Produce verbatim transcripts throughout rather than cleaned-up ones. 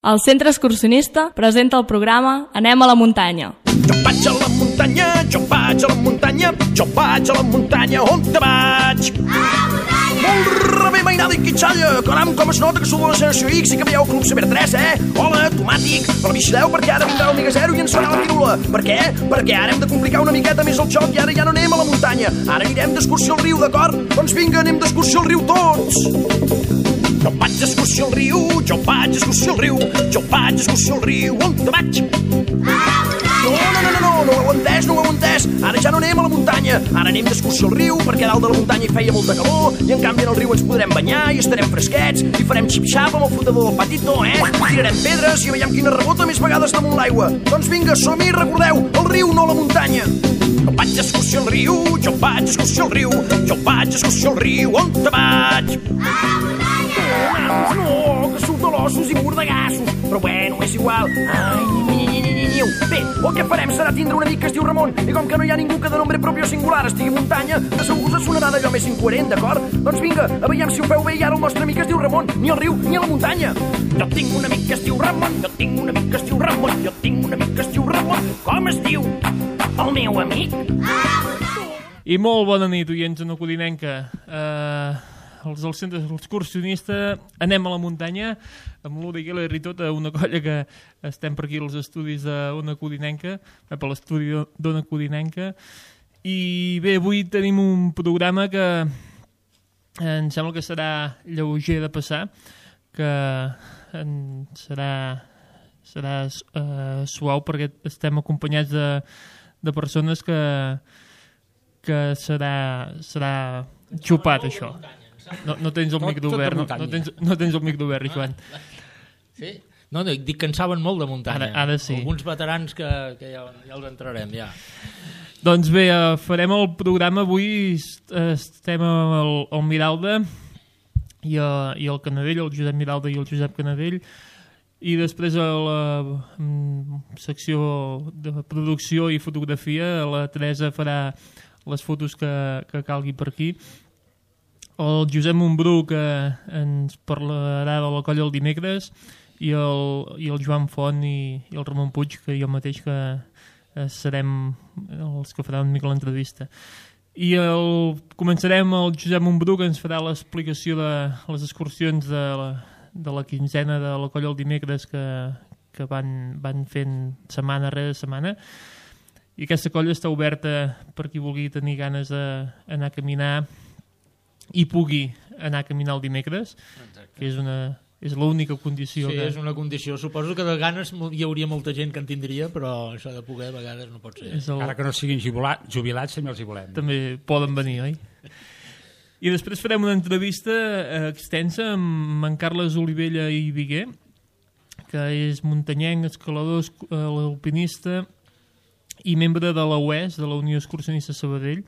El Centre Excursionista presenta el programa Anem a la muntanya. Jo vaig a la muntanya, jo vaig a la muntanya, jo vaig a la muntanya, on te vaig? A la muntanya! Molt rebé, mainada i quitxalla, caram, com es nota que sou de la generació X i que veieu Club Saber tres, eh? Hola, tomàtic, però vigileu perquè ara vindrà l'Omega Zero i ens farà la pirula. Per què? Perquè ara hem de complicar una miqueta més el joc i ara ja no anem a la muntanya, ara anirem d'excursió al riu, d'acord? Doncs vinga, anem d'excursió al riu tots! Jo vaig d'excursió al riu, jo vaig d'excursió al riu, jo vaig d'excursió al riu, on te vaig? No, no, no, no, no, no ho heu entès, no ho heu entès. Ara ja no anem a la muntanya, ara anem d'excursió al riu, perquè a dalt de la muntanya hi feia molta calor, i en canvi en el riu ens podrem banyar i estarem fresquets, i farem xip-xap amb el flotador del patito, eh? Tirarem pedres i veiem quina rebota més vegades damunt l'aigua. Doncs vinga, som-hi, recordeu, el riu, no la muntanya. Jo vaig d'excursió al riu, jo vaig d'excursió al riu, jo vaig d'excursió al riu, on te vaig? A la muntanya! No, que surt de l'ossos i mordegassos. Però bueno, és igual. Ai, ni, ni, ni, ni, ni. Bé, el que farem serà tindre un amic que es diu Ramon, i com que no hi ha ningú que de nombre propi o singular estigui a muntanya, de segur us sonarà d'allò més incoherent, d'acord? Doncs vinga, a veiem si ho feu bé i ara el nostre amic es diu Ramon, ni al riu ni a la muntanya. Jo tinc un amic que es diu Ramon, jo tinc un amic que es diu Ramon, jo tinc un amic que es diu Ramon. Com es diu? El meu amic? I molt bona nit, oients de Codinenca. Uh, els del Centre Excursionista anem a la muntanya amb l'Uri Geller i tota una colla que estem per aquí als estudis d'Ona Codinenca, per l'estudi d'Ona Codinenca. I bé, avui tenim un programa que em sembla que serà lleuger de passar, que serà, serà uh, suau perquè estem acompanyats de, de persones que, que serà, serà xupat, això. No, no tens el tot, micro obert, no, no, tens, no tens el micro obert, Joan. Sí? No, no, dic que en saben molt de muntanya. Ara, ara sí. Alguns veterans que, que ja, ja els entrarem, ja. Doncs bé, uh, farem el programa avui, estem al, al Miralda i, uh, i el Canadell, el Josep Miralda i el Josep Canadell, i després a la um, secció de producció i fotografia la Teresa farà les fotos que, que calgui per aquí. El Josep Montbrú, que ens parlarà de la colla el dimecres, i el, i el Joan Font i, i el Ramon Puig, que jo mateix que eh, serem els que faran una mica l'entrevista. I el, començarem el Josep Montbrú, que ens farà l'explicació de les excursions de la, de la quinzena de la colla el dimecres que, que van, van fent setmana rere setmana. I aquesta colla està oberta per qui vulgui tenir ganes d'anar a caminar i pugui anar a caminar el dimecres. Exacte. Que és una és l'única condició. Sí, que... és una condició. Suposo que de ganes hi hauria molta gent que en tindria, però això de poder a vegades no pot ser. El... Ara que no siguin jubilats, jubilats també els hi volem. També poden venir, oi? I després farem una entrevista extensa amb en Carles Olivella i Viguer, que és muntanyenc, escalador, alpinista i membre de la U E S, de la Unió Excursionista Sabadell.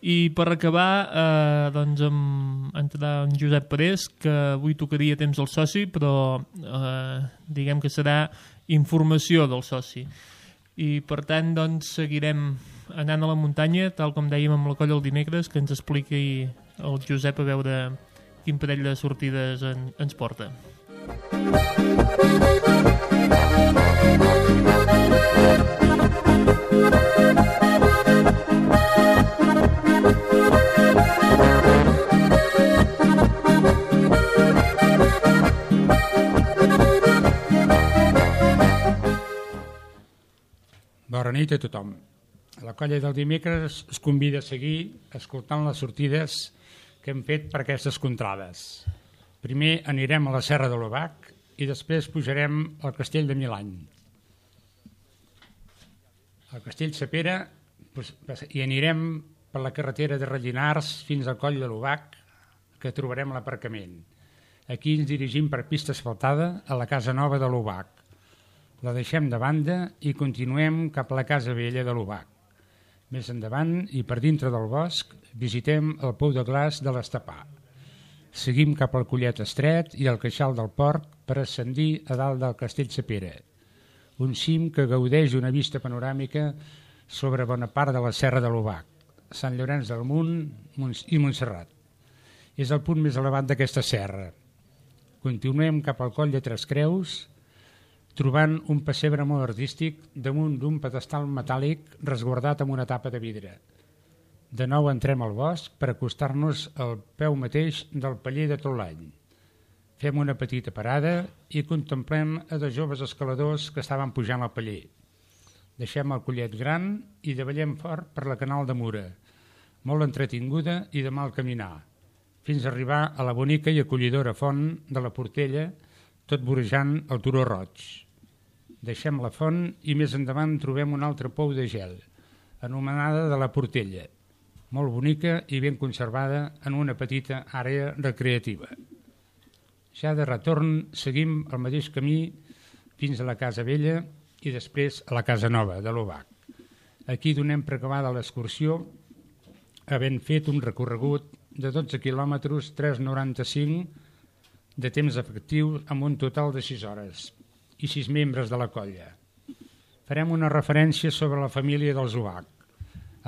I per acabar, eh, doncs, amb, entrarà en Josep Parés, que avui tocaria temps al soci, però eh, diguem que serà informació del soci. I per tant, doncs, seguirem anant a la muntanya, tal com dèiem amb la colla el dimecres, que ens expliqui el Josep a veure quin parell de sortides en, ens porta. Bona nit a tothom. La colla del dimecres es convida a seguir escoltant les sortides que hem fet per aquestes contrades. Primer anirem a la Serra de l'Obac i després pujarem al Castell de Milany. Al Castell Sapera i anirem per la carretera de Rellinars fins al Coll de l'Obac, que trobarem l'aparcament. Aquí ens dirigim per pista asfaltada a la Casa Nova de l'Obac. La deixem de banda i continuem cap a la Casa Vella de l'Obac. Més endavant i per dintre del bosc visitem el Pou de Glaç de l'Estapà. Seguim cap al Collet Estret i al Queixal del Porc per ascendir a dalt del Castell Sapera, un cim que gaudeix d'una vista panoràmica sobre bona part de la Serra de l'Obac, Sant Llorenç del Munt i Montserrat. És el punt més elevat d'aquesta serra. Continuem cap al Coll de Tres Creus trobant un pessebre molt artístic damunt d'un pedestal metàl·lic resguardat amb una tapa de vidre. De nou entrem al bosc per acostar-nos al peu mateix del paller de tot l'any. Fem una petita parada i contemplem a dos joves escaladors que estaven pujant al paller. Deixem el collet gran i davallem fort per la Canal de Mura, molt entretinguda i de mal caminar, fins a arribar a la bonica i acollidora font de la Portella, tot vorejant el turó roig. Deixem la font i més endavant trobem un altre pou de gel, anomenada de la Portella, molt bonica i ben conservada en una petita àrea recreativa. Ja de retorn seguim el mateix camí fins a la Casa Vella i després a la Casa Nova de l'Obac. Aquí donem per acabada l'excursió, havent fet un recorregut de dotze quilòmetres, tres coma noranta-cinc de temps efectiu amb un total de sis hores i sis membres de la colla. Farem una referència sobre la família dels Obac,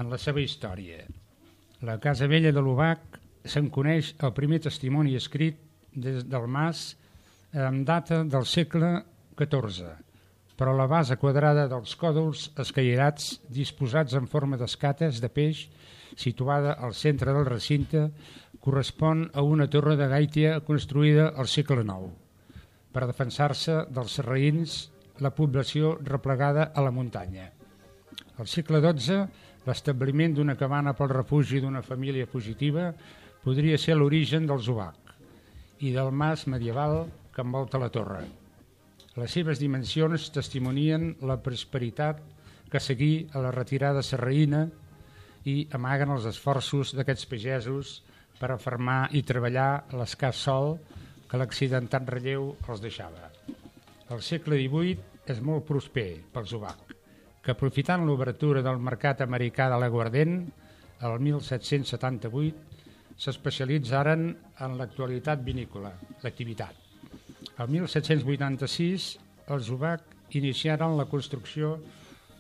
en la seva història. La Casa Vella de l'Obac se'n coneix el primer testimoni escrit des del mas amb data del segle catorze, però la base quadrada dels còdols escairats disposats en forma d'escates de peix situada al centre del recinte correspon a una torre de gaitia construïda al segle nou per defensar-se dels sarraïns, la població replegada a la muntanya. Al segle dotze, l'establiment d'una cabana pel refugi d'una família fugitiva podria ser l'origen dels Obac i del mas medieval que envolta la torre. Les seves dimensions testimonien la prosperitat que seguí a la retirada sarraïna i amaguen els esforços d'aquests pagesos per afermar i treballar l'escàs sol que l'accidentat relleu els deixava. El segle divuit és molt prosper pels Obac, que aprofitant l'obertura del mercat americà de l'aguardent, el mil set-cents setanta-vuit, s'especialitzaren en l'actualitat vinícola, l'activitat. El mil set-cents vuitanta-sis, els Obac iniciaren la construcció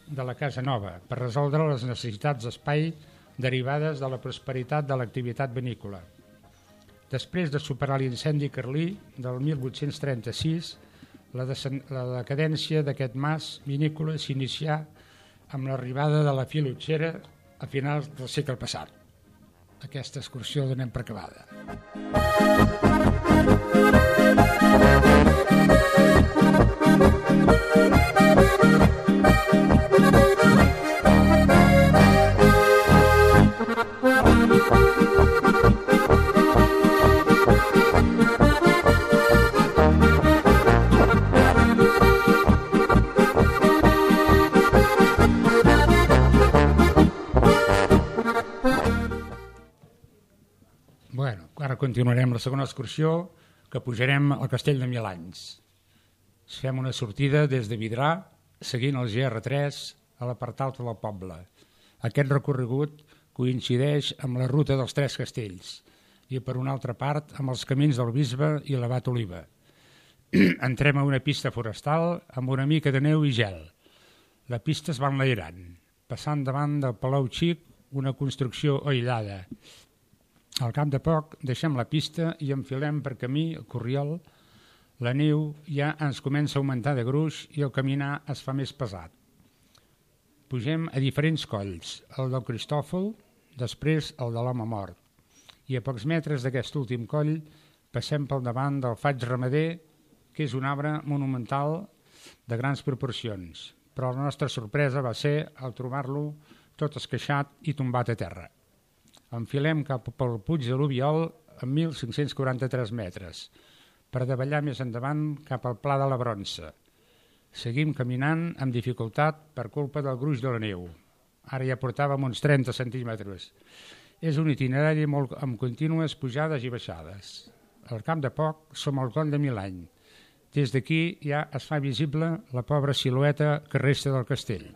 de la Casa Nova per resoldre les necessitats d'espai derivades de la prosperitat de l'activitat vinícola. Després de superar l'incendi carlí del mil vuit-cents trenta-sis, la, la decadència d'aquest mas vinícola s'inicià amb l'arribada de la filotxera a finals del segle passat. Aquesta excursió donem per acabada. Bueno, ara continuarem la segona excursió, que pujarem al Castell de Mil Anys. Fem una sortida des de Vidrà, seguint el G R tres a la part alta del poble. Aquest recorregut coincideix amb la ruta dels Tres Castells i, per una altra part, amb els camins del Bisbe i l'Abat Oliva. Entrem a una pista forestal amb una mica de neu i gel. La pista es va enlairant, passant davant del Palau Xic, una construcció aïllada. Al cap de poc deixem la pista i enfilem per camí el Corriol. La neu ja ens comença a augmentar de gruix i el caminar es fa més pesat. Pugem a diferents colls, el del Cristòfol, després el de l'Home Mort. I a pocs metres d'aquest últim coll passem pel davant del Faig Ramader, que és un arbre monumental de grans proporcions, però la nostra sorpresa va ser al trobar-lo tot esqueixat i tombat a terra. Enfilem cap pel Puig de l'Ubiol a mil cinc-cents quaranta-tres metres, per davallar més endavant cap al Pla de la Bronça. Seguim caminant amb dificultat per culpa del gruix de la neu. Ara ja portàvem uns trenta centímetres. És un itinerari molt amb contínues pujades i baixades. Al cap de poc som al Coll de Milany. Des d'aquí ja es fa visible la pobra silueta que resta del castell.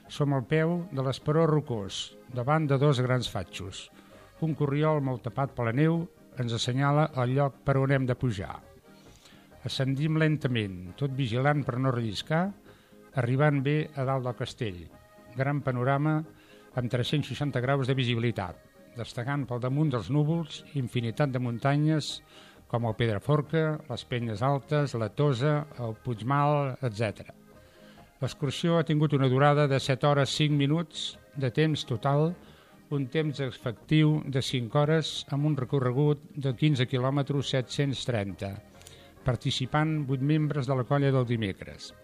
Som al peu de l'esperó rocós, davant de dos grans fatxos. Un corriol molt tapat per la neu ens assenyala el lloc per on hem de pujar. Ascendim lentament, tot vigilant per no relliscar, arribant bé a dalt del castell. Gran panorama amb tres-cents seixanta graus de visibilitat, destacant pel damunt dels núvols infinitat de muntanyes com el Pedraforca, les Penyes Altes, la Tosa, el Puigmal, etcètera. L'excursió ha tingut una durada de set hores cinc minuts de temps total, un temps efectiu de cinc hores amb un recorregut de quinze quilòmetres set-cents trenta, participant vuit membres de la colla del dimecres.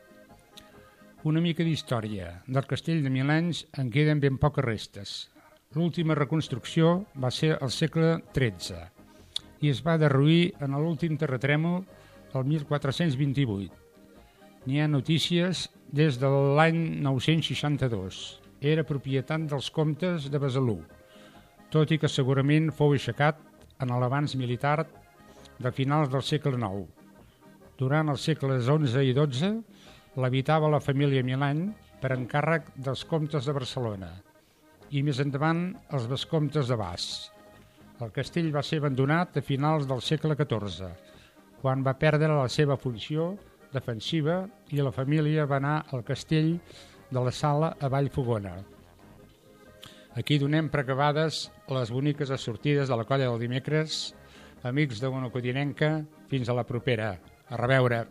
Una mica d'història. Del castell de mil anys en queden ben poques restes. L'última reconstrucció va ser al segle tretze i es va derruir en l'últim terratrèmol el mil quatre-cents vint-i-vuit. N'hi ha notícies des de l'any nou-cents seixanta-dos. Era propietat dels comtes de Besalú, tot i que segurament fou aixecat en l'avanç militar de finals del segle nou. Durant els segles onze i dotze l'habitava la família Milany per encàrrec dels comtes de Barcelona i més endavant els vescomtes de Bas. El castell va ser abandonat a finals del segle catorze, quan va perdre la seva funció defensiva i la família va anar al castell de la Sala a Vallfogona. Aquí donem per acabades les boniques sortides de la colla del dimecres. Amics de Ona Codinenca, fins a la propera. A reveure.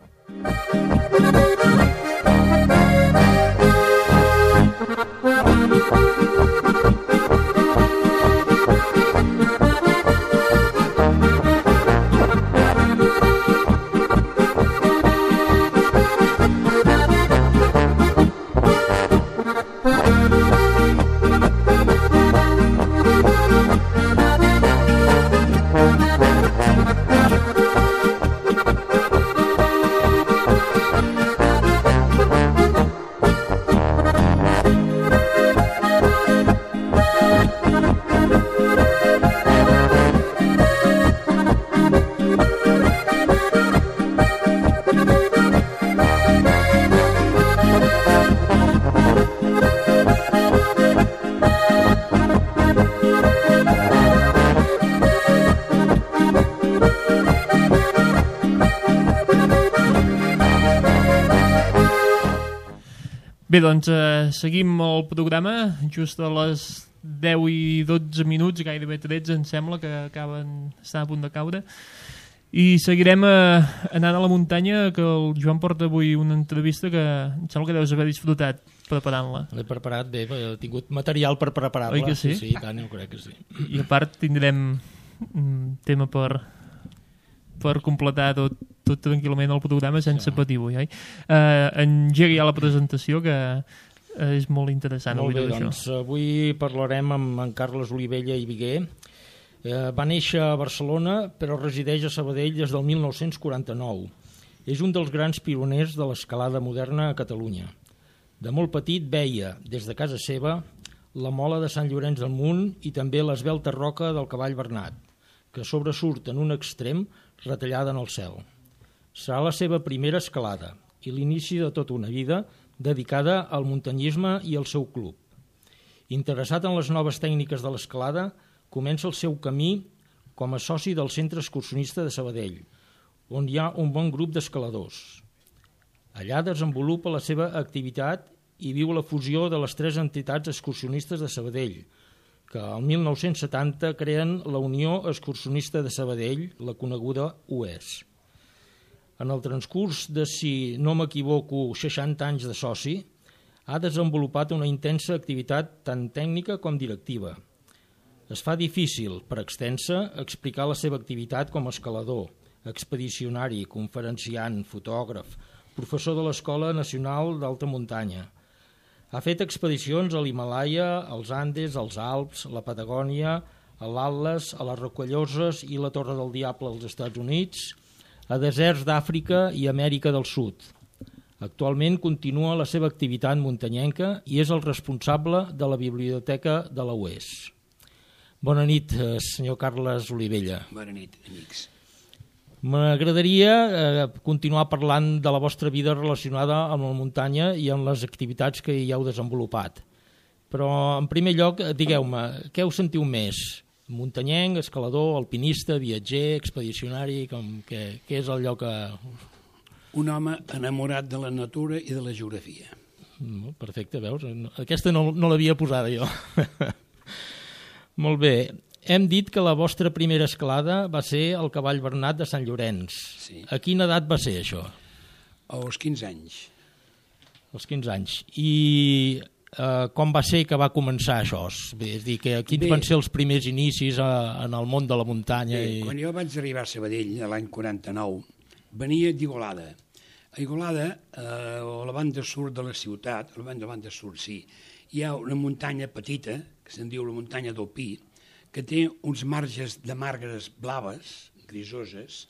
Bé, doncs eh, seguim el programa just a les deu i dotze minuts, gairebé tretze em sembla, que acaben, estan a punt de caure, i seguirem eh, anant a la muntanya, que el Joan porta avui una entrevista que em sembla que deus haver disfrutat preparant-la. L'he preparat bé, he tingut material per preparar-la. Oi que sí? Sí, sí, tant, jo crec que sí. I a part tindrem un tema per per completar tot, tot tranquil·lament el programa sense sí. patir avui. Eh? Uh, engegui ja la presentació, que és molt interessant. Molt bé, avui doncs avui parlarem amb en Carles Olivella i Viguer. Eh, va néixer a Barcelona, però resideix a Sabadell des del mil nou-cents quaranta-nou. És un dels grans pioners de l'escalada moderna a Catalunya. De molt petit veia, des de casa seva, la mola de Sant Llorenç del Munt i també l'esvelta roca del Cavall Bernat, que sobresurt en un extrem retallada en el cel. Serà la seva primera escalada i l'inici de tota una vida dedicada al muntanyisme i al seu club. Interessat en les noves tècniques de l'escalada, comença el seu camí com a soci del Centre Excursionista de Sabadell, on hi ha un bon grup d'escaladors. Allà desenvolupa la seva activitat i viu la fusió de les tres entitats excursionistes de Sabadell, que el mil nou-cents setanta creen la Unió Excursionista de Sabadell, la coneguda U E S. En el transcurs de, si no m'equivoco, seixanta anys de soci, ha desenvolupat una intensa activitat tant tècnica com directiva. Es fa difícil, per extensa, explicar la seva activitat com a escalador, expedicionari, conferenciant, fotògraf, professor de l'Escola Nacional d'Alta Muntanya. Ha fet expedicions a l'Himàlaia, als Andes, als Alps, a la Patagònia, a l'Atles, a les Rocalloses i la Torre del Diable als Estats Units, a deserts d'Àfrica i Amèrica del Sud. Actualment continua la seva activitat muntanyenca i és el responsable de la biblioteca de la U E S. Bona nit, senyor Carles Olivella. Bona nit, amics. M'agradaria eh, continuar parlant de la vostra vida relacionada amb la muntanya i amb les activitats que hi heu desenvolupat. Però, en primer lloc, digueu-me, què us sentiu més? Muntanyenc, escalador, alpinista, viatger, expedicionari? Com, què, què és el lloc que... Un home enamorat de la natura i de la geografia. Perfecte, veus? Aquesta no, no l'havia posada jo. Molt bé. Hem dit que la vostra primera escalada va ser el Cavall Bernat de Sant Llorenç. Sí. A quina edat va ser això? Als quinze anys. Als quinze anys. I eh, com va ser que va començar això? És dir, que quins Bé. van ser els primers inicis a, en el món de la muntanya? Bé, I... quan jo vaig arribar a Sabadell, l'any quaranta-nou, venia d'Igualada. A Igualada, eh, a la banda sud de la ciutat, a la banda, la banda sud, sí, hi ha una muntanya petita, que se'n diu la muntanya del Pi, que té uns marges de margues blaves, grisoses,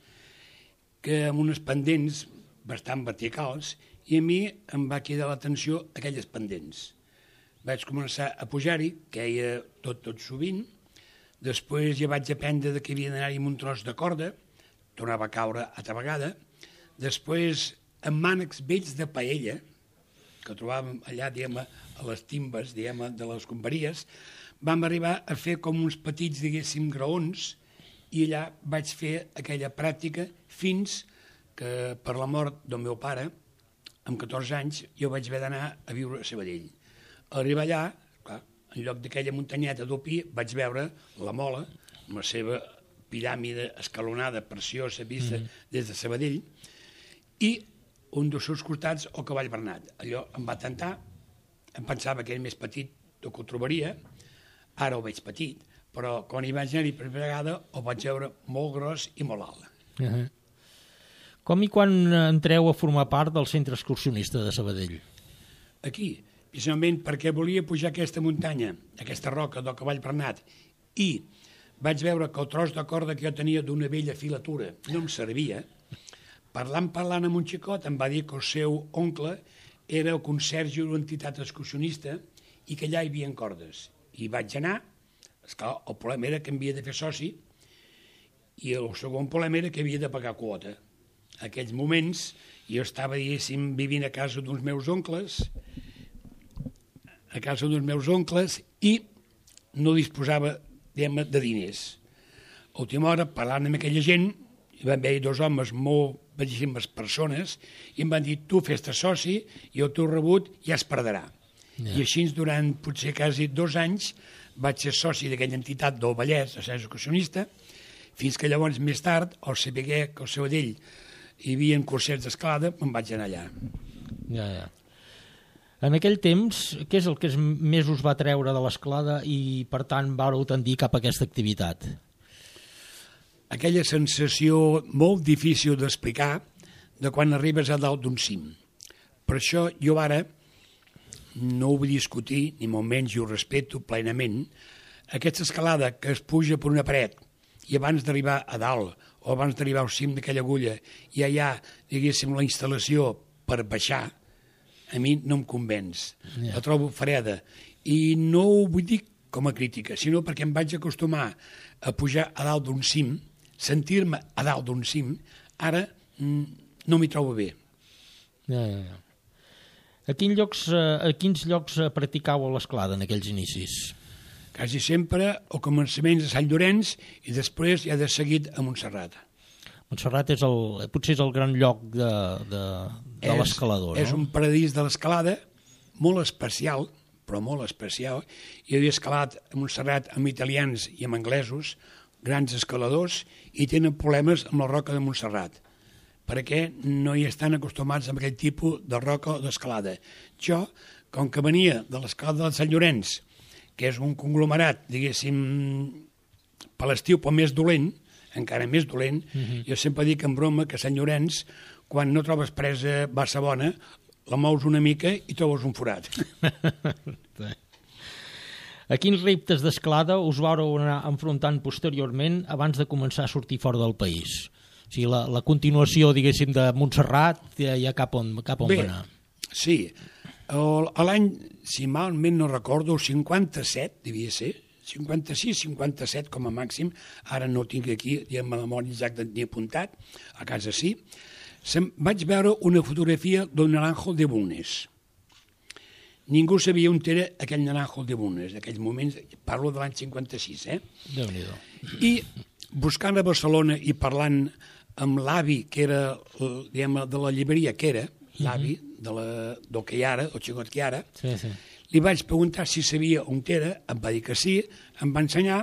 que amb unes pendents bastant verticals, i a mi em va cridar l'atenció aquelles pendents. Vaig començar a pujar-hi, queia tot, tot sovint, després ja vaig aprendre que havia d'anar-hi amb un tros de corda, tornava a caure altra vegada, després amb mànecs vells de paella, que trobàvem allà, diguem, a les timbes, diguem, de les comperies, vam arribar a fer com uns petits, diguéssim, graons, i allà vaig fer aquella pràctica fins que per la mort del meu pare, amb catorze anys, jo vaig haver d'anar a viure a Sabadell. A arribar allà, clar, en lloc d'aquella muntanyeta del Pi, vaig veure la Mola, amb la seva piràmide escalonada, preciosa, vista mm. des de Sabadell, i un dels seus costats, el Cavall Bernat. Allò em va tentar, em pensava que era més petit del que ho trobaria, ara ho veig petit, però quan hi vaig anar-hi per primera vegada ho vaig veure molt gros i molt alt. Uh -huh. Com i quan entreu a formar part del centre excursionista de Sabadell? Aquí, precisament perquè volia pujar aquesta muntanya, aquesta roca del Cavall Bernat, i vaig veure que el tros de corda que jo tenia d'una vella filatura no em servia. Parlant, parlant amb un xicot, em va dir que el seu oncle era el conserge d'una entitat excursionista i que allà hi havia cordes. I vaig anar, esclar, el problema era que em havia de fer soci i el segon problema era que havia de pagar quota. En aquells moments jo estava, diguéssim, vivint a casa d'uns meus oncles, a casa d'uns meus oncles i no disposava, diguem, de diners. A última hora, parlant amb aquella gent, hi van haver dos homes molt bellíssimes persones i em van dir, tu fes-te soci i el teu rebut ja es perdrà. Yeah. I així, durant potser quasi dos anys, vaig ser soci d'aquella entitat del Vallès, de centre excursionista, fins que llavors, més tard, al saber que al Sabadell hi havia cursets d'escalada, me'n vaig anar allà. Ja, ja. En aquell temps, què és el que més us va treure de l'escalada i, per tant, vàreu tendir cap a aquesta activitat? Aquella sensació molt difícil d'explicar de quan arribes a dalt d'un cim. Per això jo ara no ho vull discutir, ni molt menys, i ho respeto plenament. Aquesta escalada que es puja per una paret i abans d'arribar a dalt o abans d'arribar al cim d'aquella agulla ja hi ha, diguéssim, la instal·lació per baixar, a mi no em convenç. Yeah. La trobo freda. I no ho vull dir com a crítica, sinó perquè em vaig acostumar a pujar a dalt d'un cim, sentir-me a dalt d'un cim, ara mm, no m'hi trobo bé. Ja, ja, ja. A quins llocs, a quins llocs practicàveu l'escalada en aquells inicis? Quasi sempre al començament a Sant Llorenç i després ja de seguit a Montserrat. Montserrat és el, potser és el gran lloc de, de, de l'escalador, no? És un paradís de l'escalada molt especial, però molt especial. Jo havia escalat a Montserrat amb italians i amb anglesos, grans escaladors, i tenen problemes amb la roca de Montserrat, perquè no hi estan acostumats a aquest tipus de roca d'escalada. Jo, com que venia de l'escalada de Sant Llorenç, que és un conglomerat, diguéssim, per l'estiu, però més dolent, encara més dolent, uh-huh. Jo sempre dic en broma que a Sant Llorenç, quan no trobes presa bassa bona, la mous una mica i trobes un forat. A quins reptes d'escalada us vau anar enfrontant posteriorment abans de començar a sortir fora del país? O sigui, la, la continuació, diguéssim, de Montserrat, ja, ja cap on, cap on Bé, va anar? Sí. El, l'any, si malment no recordo, cinquanta-set, devia ser, cinquanta-sis cinquanta-set com a màxim, ara no tinc aquí, diguem, la memòria exacta ni apuntat, a casa sí, Se'm, vaig veure una fotografia del Naranjo de Bulnes. Ningú sabia on era aquell Naranjo de Bulnes, d'aquells moments, parlo de l'any cinquanta-sis, eh? Déu-n'hi-do. I buscant a Barcelona i parlant amb l'avi, que era, diguem, de la llibreria que era, l'avi de la, del que hi ara, el xicot que hi ara, sí, sí. Li vaig preguntar si sabia on era, em va dir que sí, em va ensenyar,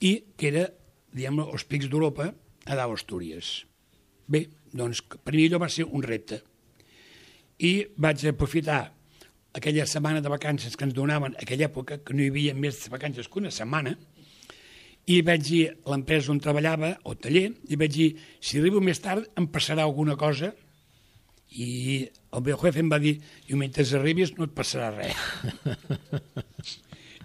i que era, diguem els pics d'Europa a dalt Astúries. Bé, doncs per mi allò va ser un repte. I vaig aprofitar aquella setmana de vacances que ens donaven en aquella època, que no hi havia més vacances que una setmana, i vaig dir a l'empresa on treballava, o taller, i vaig dir, si arribo més tard em passarà alguna cosa, i el meu jefe em va dir, i mentre arribis no et passarà res.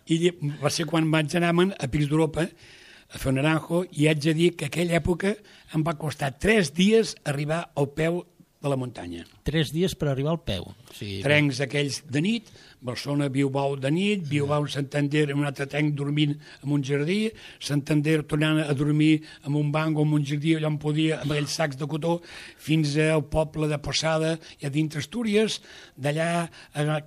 I va ser quan vaig anar a Pics d'Europa a fer un naranjo, i haig de dir que aquella època em va costar tres dies arribar al peu de la muntanya. Tres dies per arribar al peu. O sigui, trencs aquells de nit, Barcelona, Bilbao de nit, Bilbao, Santander, en un altre trenc dormint en un jardí, Santander tornant a dormir en un banc o en un jardí allà on podia, amb aquells sacs de cotó, fins al poble de Posada i a dintre Astúries, d'allà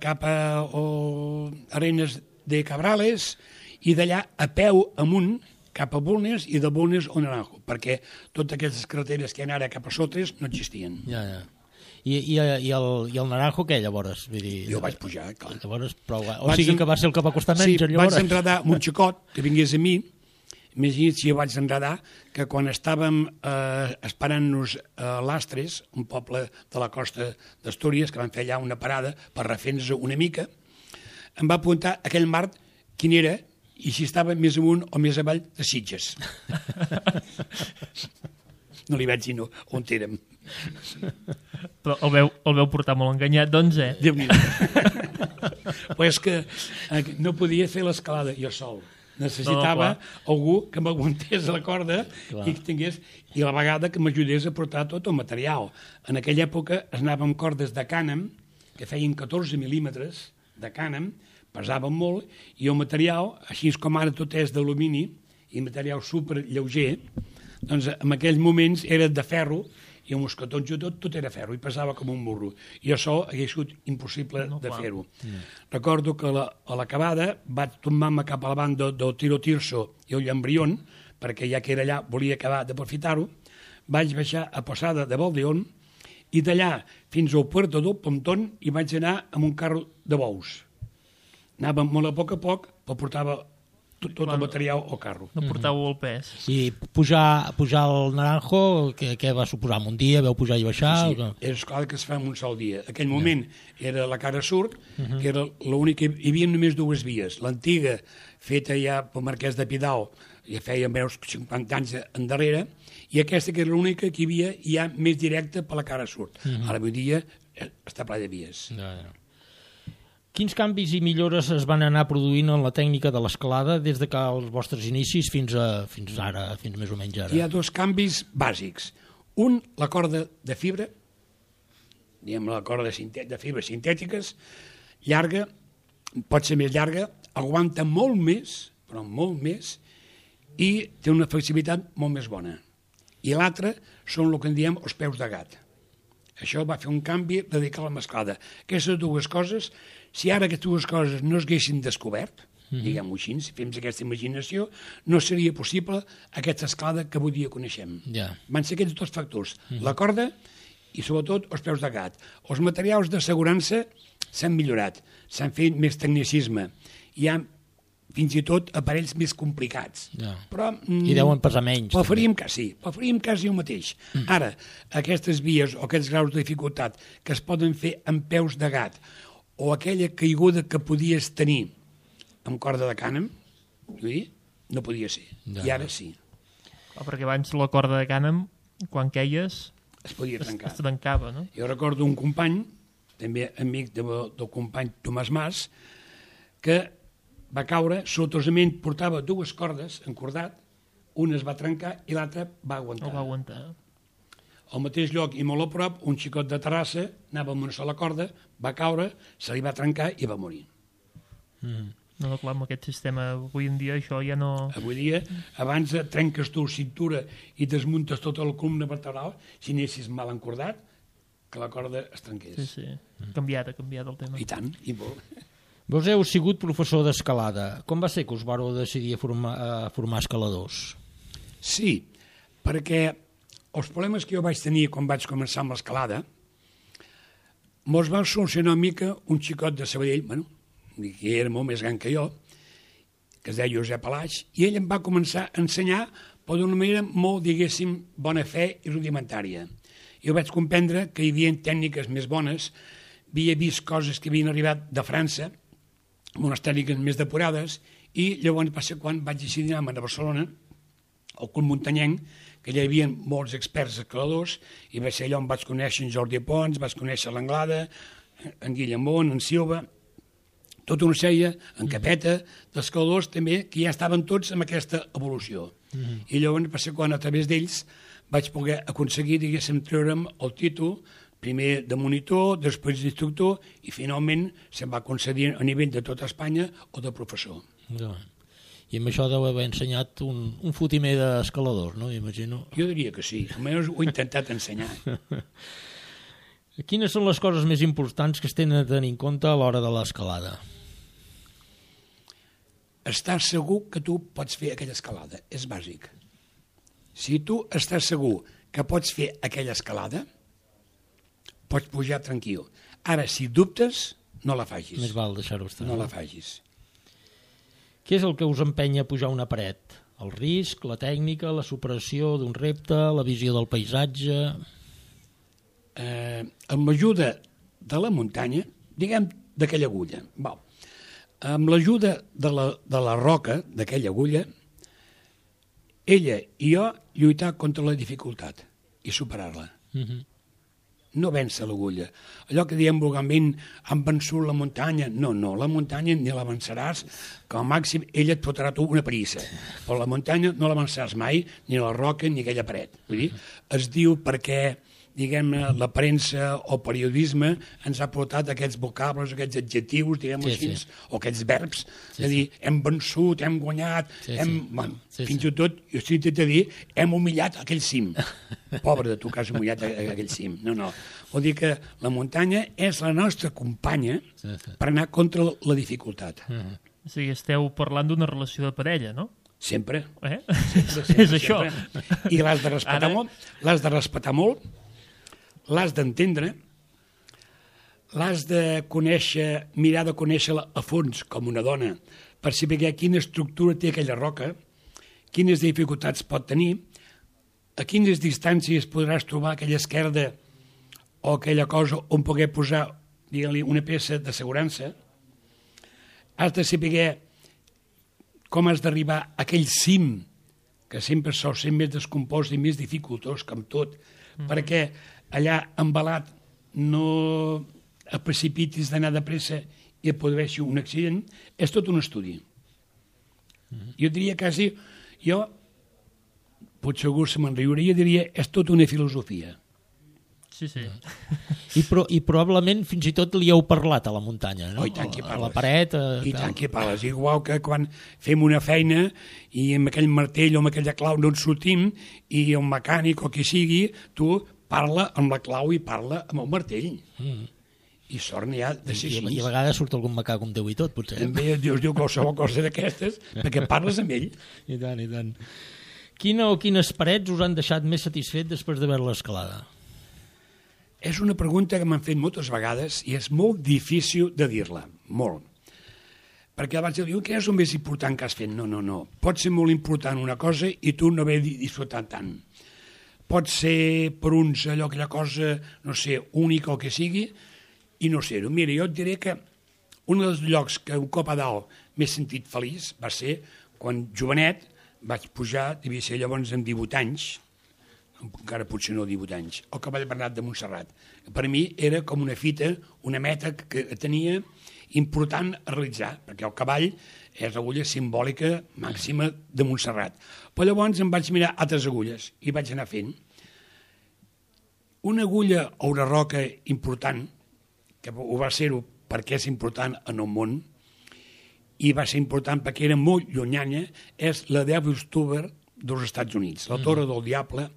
cap a o, Arenes de Cabrales, i d'allà a peu amunt, cap a Bulnes, i de Bulnes a Naranjo, perquè totes aquestes carreteres que hi ha ara cap a Sotres no existien. Ja, ja. I, i, i, el, I el Naranjo, què, llavors? Vull dir, jo vaig pujar, clar. Llavors, però, o vaig sigui que va ser el que va costar menys, sí, llavors. Vaig enredar amb un xicot que vingués a mi, imagina't si jo vaig enredar, que quan estàvem eh, esperant-nos a Lastres, un poble de la costa d'Astúries, que van fer allà una parada per refer-nos una mica, em va apuntar aquell mar quin era, i si estava més amunt o més avall de Sitges. No li vaig dir no, on érem. Però el veu, el veu portar molt enganyat, doncs, eh? Déu-n'hi-do. Però és que no podia fer l'escalada jo sol. Necessitava no, no, algú que m'aguantés la corda clar. I que tingués, i a la vegada que m'ajudés a portar tot el material. En aquella època es anava amb cordes de cànem, que feien catorze mil·límetres de cànem, pesaven molt, i el material, així com ara tot és d'alumini, i material super lleuger, doncs en aquells moments era de ferro, i el mosquetons i tot, tot era ferro, i pesava com un burro. I això hagués sigut impossible no, de fer-ho. Mm. Recordo que la, a l'acabada vaig tombar-me cap a la banda del Tiro Tirso i el Llambrión, perquè ja que era allà volia acabar d'aprofitar-ho, vaig baixar a Posada de Valdeón, i d'allà fins al Puerto del Pontón hi vaig anar amb un carro de bous. Anàvem molt a poc a poc, però portava tot, tot el material al carro. No portàveu el pes. I pujar, pujar al Naranjo, què, què va suposar? Un dia veu pujar i baixar? Sí, sí. És clar que es fa en un sol dia. Aquell moment ja. Era la cara sud, uh-huh. que era l'únic que hi havia només dues vies. L'antiga, feta ja pel Marquès de Pidal, ja feia meus cinquanta anys endarrere, i aquesta que era l'única que hi havia ja més directa per la cara sud. Uh-huh. Ara avui dia està ple de vies. Ja, ja. Quins canvis i millores es van anar produint en la tècnica de l'escalada des de que els vostres inicis fins, a, fins ara, fins més o menys ara? Hi ha dos canvis bàsics. Un, la corda de fibra, diguem la corda de fibra sintètiques, llarga, pot ser més llarga, aguanta molt més, però molt més, i té una flexibilitat molt més bona. I l'altra són el que en diem els peus de gat. Això va fer un canvi radical a la mesclada. Aquestes dues coses, si ara aquestes dues coses no es haguessin descobert, mm-hmm. diguem-ho així, si fem aquesta imaginació, no seria possible aquesta escalada que avui dia coneixem. Yeah. Van ser aquests dos factors, mm-hmm. la corda i sobretot els peus de gat. Els materials d'assegurança s'han millorat, s'han fet més tecnicisme, hi ha fins i tot aparells més complicats. Ja. Però, I deuen pesar menys. Preferim quasi, preferim quasi el mateix. Mm. Ara, aquestes vies o aquests graus de dificultat que es poden fer amb peus de gat o aquella caiguda que podies tenir amb corda de cànem, no podia ser. Ja. I ara sí. Oh, perquè abans la corda de cànem, quan queies, es podia trencar. Es, es trencava, no? Jo recordo un company, també amic de, del company Tomàs Mas, que va caure, sortosament portava dues cordes encordat, una es va trencar i l'altra va aguantar. El va aguantar. Al mateix lloc i molt a prop, un xicot de Terrassa anava amb una sola corda, va caure, se li va trencar i va morir. Mm. No, no, clar, amb aquest sistema avui en dia això ja no... Avui dia, abans trenques tu cintura i desmuntes tota la columna vertebral, si anessis mal encordat, que la corda es trenqués. Sí, sí, mm. canviat, ha canviat el tema. I tant, i molt. Vos heu sigut professor d'escalada. Com va ser que us vareu decidir a formar, a formar escaladors? Sí, perquè els problemes que jo vaig tenir quan vaig començar amb l'escalada mos va solucionar una mica un xicot de Sabadell, bueno, que era molt més gran que jo, que es deia Josep Alaix, i ell em va començar a ensenyar però d'una manera molt, diguéssim, bona fe i rudimentària. Jo vaig comprendre que hi havia tècniques més bones, havia vist coses que havien arribat de França, amb unes tècniques més depurades, i llavors va ser quan vaig decidir anar a Barcelona, al Club Muntanyenc, que hi havia molts experts escaladors, i va ser allò on vaig conèixer en Jordi Pons, vaig conèixer l'Anglada, en Guillemont, en Silva, tota una sèrie, en Capeta, d'escaladors també, que ja estaven tots amb aquesta evolució. Mm-hmm. I llavors va ser quan a través d'ells vaig poder aconseguir, diguéssim, treure'm el títol, primer de monitor, després d'instructor, i finalment se'm va concedir a nivell de tota Espanya o de professor. Ja. I amb això deu haver ensenyat un, un fotimer d'escaladors, no? Imagino. Jo diria que sí, almenys ho he intentat ensenyar. Quines són les coses més importants que es tenen a tenir en compte a l'hora de l'escalada? Estar segur que tu pots fer aquella escalada, és bàsic. Si tu estàs segur que pots fer aquella escalada, pots pujar tranquil. Ara, si dubtes, no la facis. Més val deixar-ho estar. No la facis. Què és el que us empenya a pujar una paret? El risc, la tècnica, la superació d'un repte, la visió del paisatge... Eh, amb l'ajuda de la muntanya, diguem d'aquella agulla, val. Amb l'ajuda de, la, de la roca, d'aquella agulla, ella i jo lluitar contra la dificultat i superar-la. Uh-huh. No vèncer l'agulla. Allò que diem vulgarment, han vençut la muntanya. No, no, la muntanya ni la venceràs, que al màxim ella et fotrà tu una parissa. Però la muntanya no la venceràs mai, ni la roca ni aquella paret. Vull dir, es diu perquè diguem-ne, la premsa o periodisme ens ha portat aquests vocables, aquests adjectius, diguem-ho sí, així, sí. o aquests verbs, sí, de dir, hem vençut, hem guanyat, sí, hem, sí. bueno, Sí, fins sí. i tot, jo estic intentant de dir, hem humillat aquell cim. Pobre de tu que has humillat aquell cim. No, no. Vol dir que la muntanya és la nostra companya Sí, sí. per anar contra la dificultat. Uh-huh. O sigui, esteu parlant d'una relació de parella, no? Sempre. Eh? Sempre, sempre, És això. sempre. I l'has de respetar Ara... molt, l'has de respetar molt, l'has d'entendre, l'has de conèixer, mirar de conèixer-la a fons com una dona, per saber quina estructura té aquella roca, quines dificultats pot tenir, a quines distàncies podràs trobar aquella esquerda o aquella cosa on poder posar, digue-li, una peça d'assegurança. Has de saber com has d'arribar a aquell cim, que sempre sol ser més descompost i més dificultós, com tot, mm. perquè allà embalat no et precipitis d'anar de pressa i et produeixi un accident, és tot un estudi. Mm. Jo diria quasi, jo, potser algú se me'n riuria, diria, és tot una filosofia. Sí, sí. I, pro, I probablement fins i tot li heu parlat a la muntanya, no? Oh, i tant que a parles. la paret... A, I tant que parles. Igual que quan fem una feina i amb aquell martell o amb aquella clau no en sortim i el mecànic o qui sigui, tu parla amb la clau i parla amb el martell. Mm. I sort n'hi ha de ser I, així. I a vegades surt algun macà com Déu i tot, potser. També Dios diu qualsevol cosa d'aquestes perquè parles amb ell. I tant, i tant. Quina o quines parets us han deixat més satisfet després d'haver-la escalada? És una pregunta que m'han fet moltes vegades i és molt difícil de dir-la, molt. Perquè abans de dir, què és el més important que has fet? No, no, no. Pot ser molt important una cosa i tu no haver disfrutat tant. Pot ser per uns allò, aquella cosa, no sé, única o que sigui, i no ser-ho. Mira, jo et diré que un dels llocs que un cop a dalt m'he sentit feliç va ser quan jovenet vaig pujar, devia ser llavors amb divuit anys, encara potser no divuit anys, al Cavall Bernat de Montserrat. Per mi era com una fita, una meta que tenia important a realitzar, perquè el cavall és l'agulla simbòlica màxima de Montserrat. Però llavors em vaig mirar altres agulles i vaig anar fent. Una agulla o una roca important, que ho va ser-ho perquè és important en el món, i va ser important perquè era molt llunyana, és la Devil's Tower dels Estats Units, la Torre del Diable,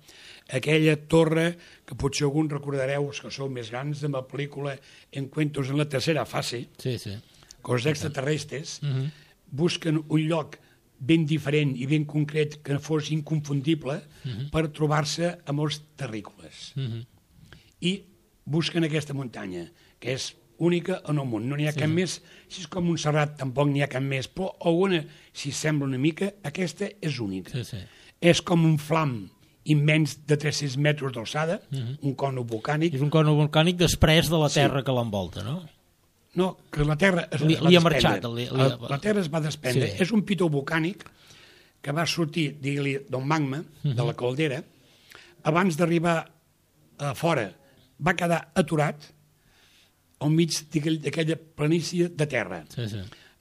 aquella torre que potser alguns recordareu, els que sou més grans, de la pel·lícula Encuentros en la tercera fase, sí, sí. que els extraterrestres uh-huh. busquen un lloc ben diferent i ben concret que fos inconfundible uh-huh. per trobar-se amb els terrícoles. Uh-huh. I busquen aquesta muntanya, que és única en el món, no n'hi ha sí, cap sí. més, si és com Montserrat tampoc n'hi ha cap més, però alguna, si sembla una mica, aquesta és única. Sí, sí. És com un flam immens de tres-cents metres d'alçada, uh -huh. un cono volcànic. És un cono volcànic després de la terra sí. que l'envolta, no? No, que la terra es, li, es va li desprendre. Ha marxat, li, li... La, la terra es va desprendre. Sí. És un pitó volcànic que va sortir, digue-li, del magma, uh -huh. de la caldera. Abans d'arribar a fora va quedar aturat al mig d'aquella planícia de terra. Sí, sí.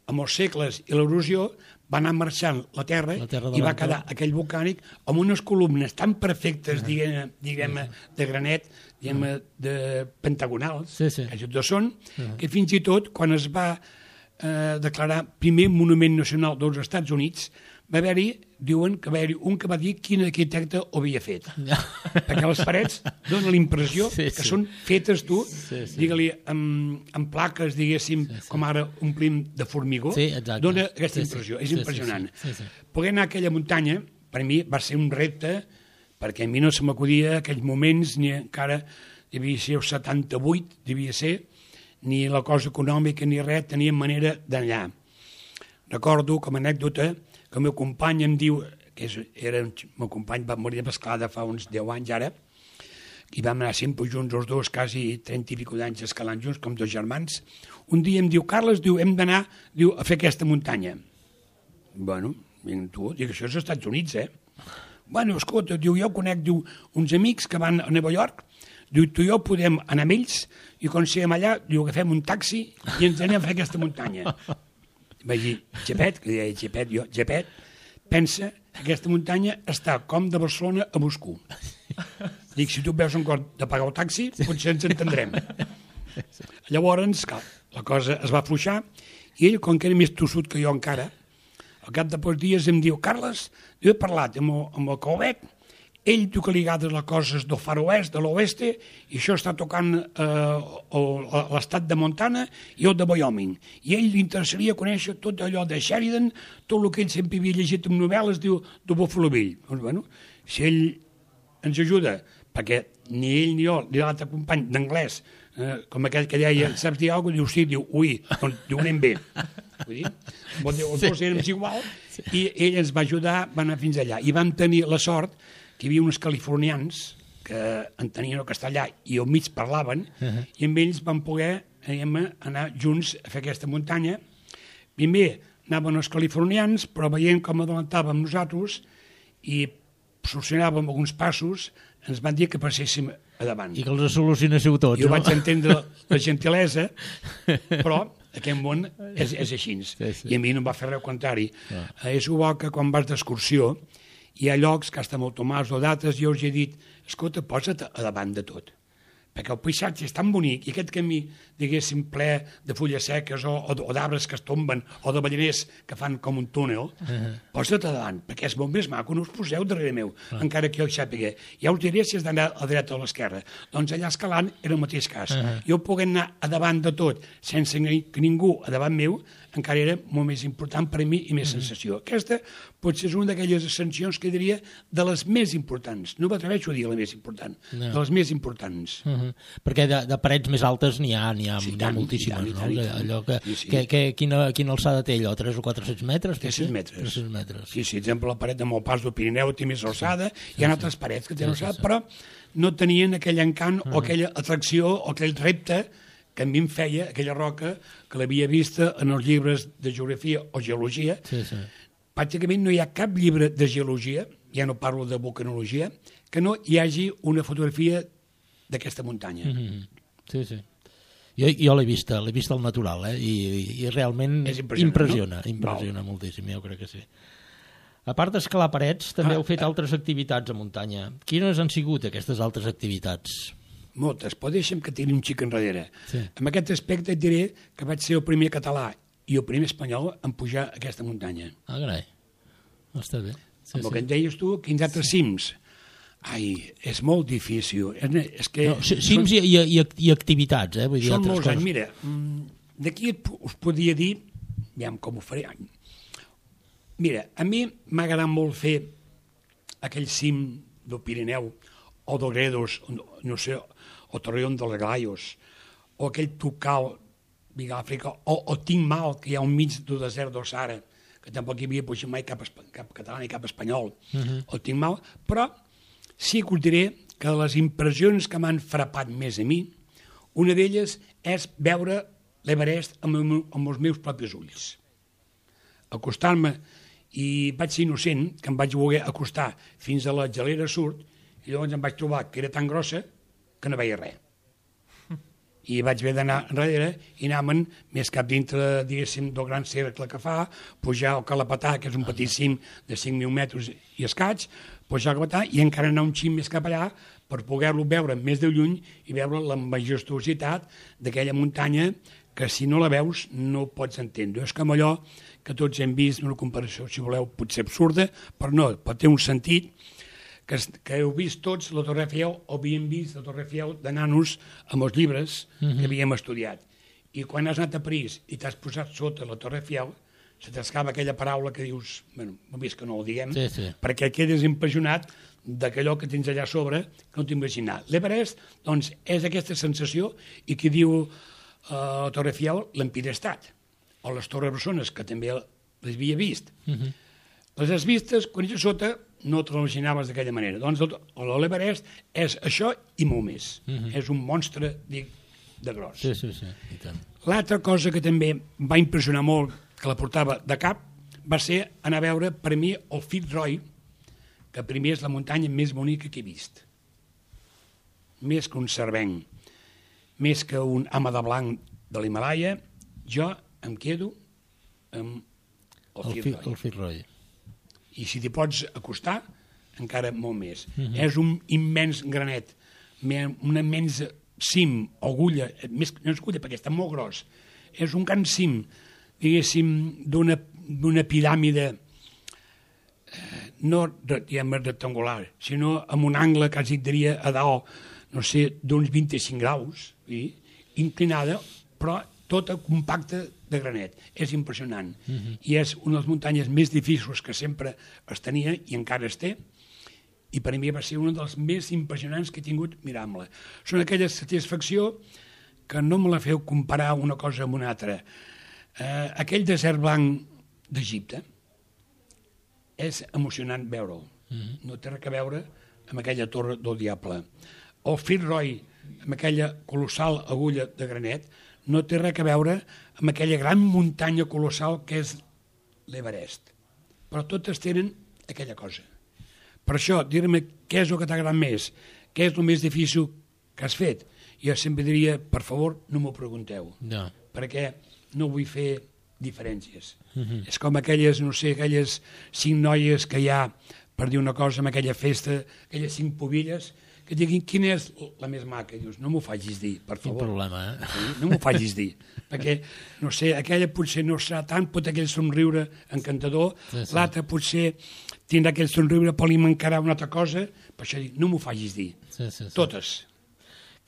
Amb els segles i l'erosió va anar marxant la terra, la terra i va quedar aquell volcànic amb unes columnes tan perfectes, uh -huh. diguem, diguem uh -huh. de granet, diguem, uh -huh. de pentagonals, sí, sí. que tots són, uh -huh. que fins i tot, quan es va eh, declarar primer monument nacional dels Estats Units, va haver-hi, diuen que va haver-hi un que va dir quin arquitecte ho havia fet. No. Perquè les parets donen la impressió sí, que sí. són fetes, tu, sí, sí. digue-li, amb, amb plaques, diguéssim, sí, sí. com ara omplim de formigó, sí, dona aquesta sí, impressió. Sí. És sí, impressionant. Sí, sí, sí. Poder anar a aquella muntanya, per mi, va ser un repte, perquè a mi no se m'acudia aquells moments, ni encara devia ser el setanta-vuit, devia ser, ni la cosa econòmica ni res, teníem manera d'anar. Recordo, com a anècdota, que el meu company em diu, que és, era, el meu company va morir d'escalada fa uns deu anys ara, i vam anar sempre junts els dos, quasi trenta i pico d'anys escalant junts, com dos germans. Un dia em diu, Carles, diu, hem d'anar diu, a fer aquesta muntanya. Bueno, tu, dic, això és als Estats Units, eh? Bueno, escolta, diu, jo conec diu, uns amics que van a Nova York, diu, tu i jo podem anar amb ells, i quan siguem allà, diu, agafem un taxi i ens anem a fer aquesta muntanya. Vaig dir, Gepet, que deia Gepet, jo, Gepet, pensa que aquesta muntanya està com de Barcelona a Moscou. Dic, si tu veus un cop de pagar el taxi, potser ens entendrem. Llavors, clar, la cosa es va afluixar, i ell, com que era més tossut que jo encara, al cap de pocs dies em diu, Carles, jo he parlat amb el, amb el Calvet, ell diu que li agrada les coses del far oest, de l'oeste, i això està tocant eh, l'estat de Montana i el de Wyoming. I ell li interessaria conèixer tot allò de Sheridan, tot el que ell sempre havia llegit en novel·les, diu, de Buffalo Bill. Doncs, bueno, si ell ens ajuda, perquè ni ell ni jo, ni l'altre company d'anglès, eh, com aquell que deia, saps dir alguna cosa? Diu, sí, diu, ui, doncs diu, anem bé. Vull dir, els dos érem igual, i ell ens va ajudar, va anar fins allà. I vam tenir la sort que hi havia uns californians que entenien el castellà i al mig parlaven, uh -huh. i amb ells vam poder diguem, anar junts a fer aquesta muntanya. Primer anaven els californians, però veient com adelantàvem nosaltres i solucionàvem alguns passos, ens van dir que passéssim a davant. I que els solucionéssiu tots, jo no? vaig entendre la gentilesa, però aquest món és, és així. Sí, sí. I a mi no em va fer res contrari. Ah. És igual que quan vas d'excursió, hi ha llocs que estan molt tomats o dates, jo us he dit, escolta, posa't a davant de tot, perquè el paisatge és tan bonic i aquest camí, diguéssim, ple de fulles seques o, o, o d'arbres que es tomben o de balleners que fan com un túnel, uh -huh. posa't a davant, perquè és molt més maco, no us poseu darrere meu, uh -huh. encara que jo hi sàpiga. Ja us diré si has d'anar a la dreta o a l'esquerra. Doncs allà escalant era el mateix cas. Uh -huh. Jo poguent anar a davant de tot sense que ningú a davant meu, encara era molt més important per a mi i més uh -huh. sensació. Aquesta potser és una d'aquelles ascensions que diria de les més importants. No m'atreveixo a dir la més important, no. de les més importants. Uh -huh. Perquè de, de parets més altes n'hi ha, n'hi ha, sí, n'hi ha moltíssimes, i tant, i tant, no? I tant. Allò que, sí, sí. que, que, quina, quina alçada té allò? tres o quatre-cents metres? tres-cents metres. tres-cents metres. Sí, sí, per exemple, la paret de Malpars del Pirineu té més alçada, sí, hi ha sí, altres parets que tenen sí, alçada, sí, sí. però no tenien aquell encant uh -huh. o aquella atracció o aquell repte que a mi em feia aquella roca que l'havia vista en els llibres de geografia o geologia. Sí, sí. Pràcticament no hi ha cap llibre de geologia, ja no parlo de vulcanologia, que no hi hagi una fotografia d'aquesta muntanya. Mm-hmm. Sí, sí. Jo, jo l'he vista, l'he vista al natural, eh? I, i realment impressiona, no? impressiona Val. moltíssim, jo crec que sí. A part d'escalar parets, també ah, heu fet ah. altres activitats a muntanya. Quines han sigut aquestes altres activitats? Moltes, però deixa'm que tiri un xic enrere. Sí. En aquest aspecte et diré que vaig ser el primer català i el primer espanyol en pujar a aquesta muntanya. Ah, carai. Està bé. Sí, amb el sí. que en deies tu, quins altres cims? Ai, és molt difícil. És que no, cims són, i, i, i activitats, eh? Vull dir, són molts coses. anys. Mira, d'aquí us podria dir, aviam com ho faré. Mira, a mi m'ha agradat molt fer aquell cim del Pirineu o del Gredos, no sé, o Torreón dels Glayos, o aquell Tucal vinc a l'Àfrica, o, o tinc mal, que hi ha un mig del desert del Sahara, que tampoc hi havia pujat mai cap, cap català ni cap espanyol, uh -huh. o tinc mal, però sí que us diré que les impressions que m'han frapat més a mi, una d'elles és veure l'Everest amb, amb els meus propis ulls. Acostar-me, i vaig ser innocent, que em vaig voler acostar fins a la gelera sud, i llavors em vaig trobar que era tan grossa que no veia res. I vaig haver d'anar enrere i anàvem més cap dintre, diguéssim, del gran cercle que fa, pujar al Calapatà, que és un petit cim de cinc mil metres i escaig, pujar al Calapatà i encara anar un xim més cap allà per poder-lo veure més de lluny i veure la majestuositat d'aquella muntanya que si no la veus no pots entendre. És com allò que tots hem vist, una comparació, si voleu, potser absurda, però no, pot tenir un sentit, que, que heu vist tots la Torre Eiffel, o havíem vist la Torre Eiffel de nanos amb els llibres uh-huh. que havíem estudiat. I quan has anat a París i t'has posat sota la Torre Eiffel, se t'escapa aquella paraula que dius, bueno, no vist que no ho diguem, sí, sí. perquè quedes impressionat d'aquellò que tens allà a sobre que no t'ho imaginar. L'Everest, doncs, és aquesta sensació, i qui diu uh, la Torre Eiffel, l'Empire State, o les Torres Bessones, que també les havia vist. Uh-huh. Les has vistes, quan ets a sota, no te l'imaginaves d'aquella manera. Doncs l'Everest és això i molt més. Uh-huh. És un monstre, dic, de gros. Sí, sí, sí. I tant. L'altra cosa que també va impressionar molt, que la portava de cap, va ser anar a veure, per mi, el Fitzroy, que primer és la muntanya més bonica que he vist. Més que un cervenc, més que un home de blanc de l'Himalaya, jo em quedo amb el Fitzroy. El Fitzroy. I si t'hi pots acostar, encara molt més. Uh-huh. És un immens granet, una immensa cim, agulla, més, no és agulla perquè està molt gros, és un gran cim, diguéssim, d'una piràmide eh, no diguem, rectangular, sinó amb un angle, quasi diria, a dalt, no sé, d'uns vint-i-cinc graus, i, inclinada, però tota compacta de granet. És impressionant. Uh-huh. I és una de les muntanyes més difícils que sempre es tenia, i encara es té, i per a mi va ser una de les més impressionants que he tingut mirant-la. Són aquella satisfacció que no me la feu comparar una cosa amb una altra. Eh, aquell desert blanc d'Egipte és emocionant veure'l. Uh-huh. No té res a veure amb aquella torre del diable. El Fitzroy, amb aquella colossal agulla de granet, no té res a veure amb aquella gran muntanya colossal que és l'Everest. Però totes tenen aquella cosa. Per això, dir-me què és el que t'ha agradat més, què és el més difícil que has fet, jo sempre diria, per favor, no m'ho pregunteu, no. perquè no vull fer diferències. Uh-huh. És com aquelles, no sé, aquelles cinc noies que hi ha, per dir una cosa, en aquella festa, aquelles cinc pobilles, que diguin quina és la més maca. I dius, no m'ho facis dir, per favor. Quin problema, eh? Sí, no m'ho facis dir. Perquè, no sé, aquella potser no serà tant, pot aquell somriure encantador, sí, sí. L'altra potser tindrà aquell somriure, però li mancarà una altra cosa, per això dic, no m'ho facis dir. Sí, sí, sí. Totes.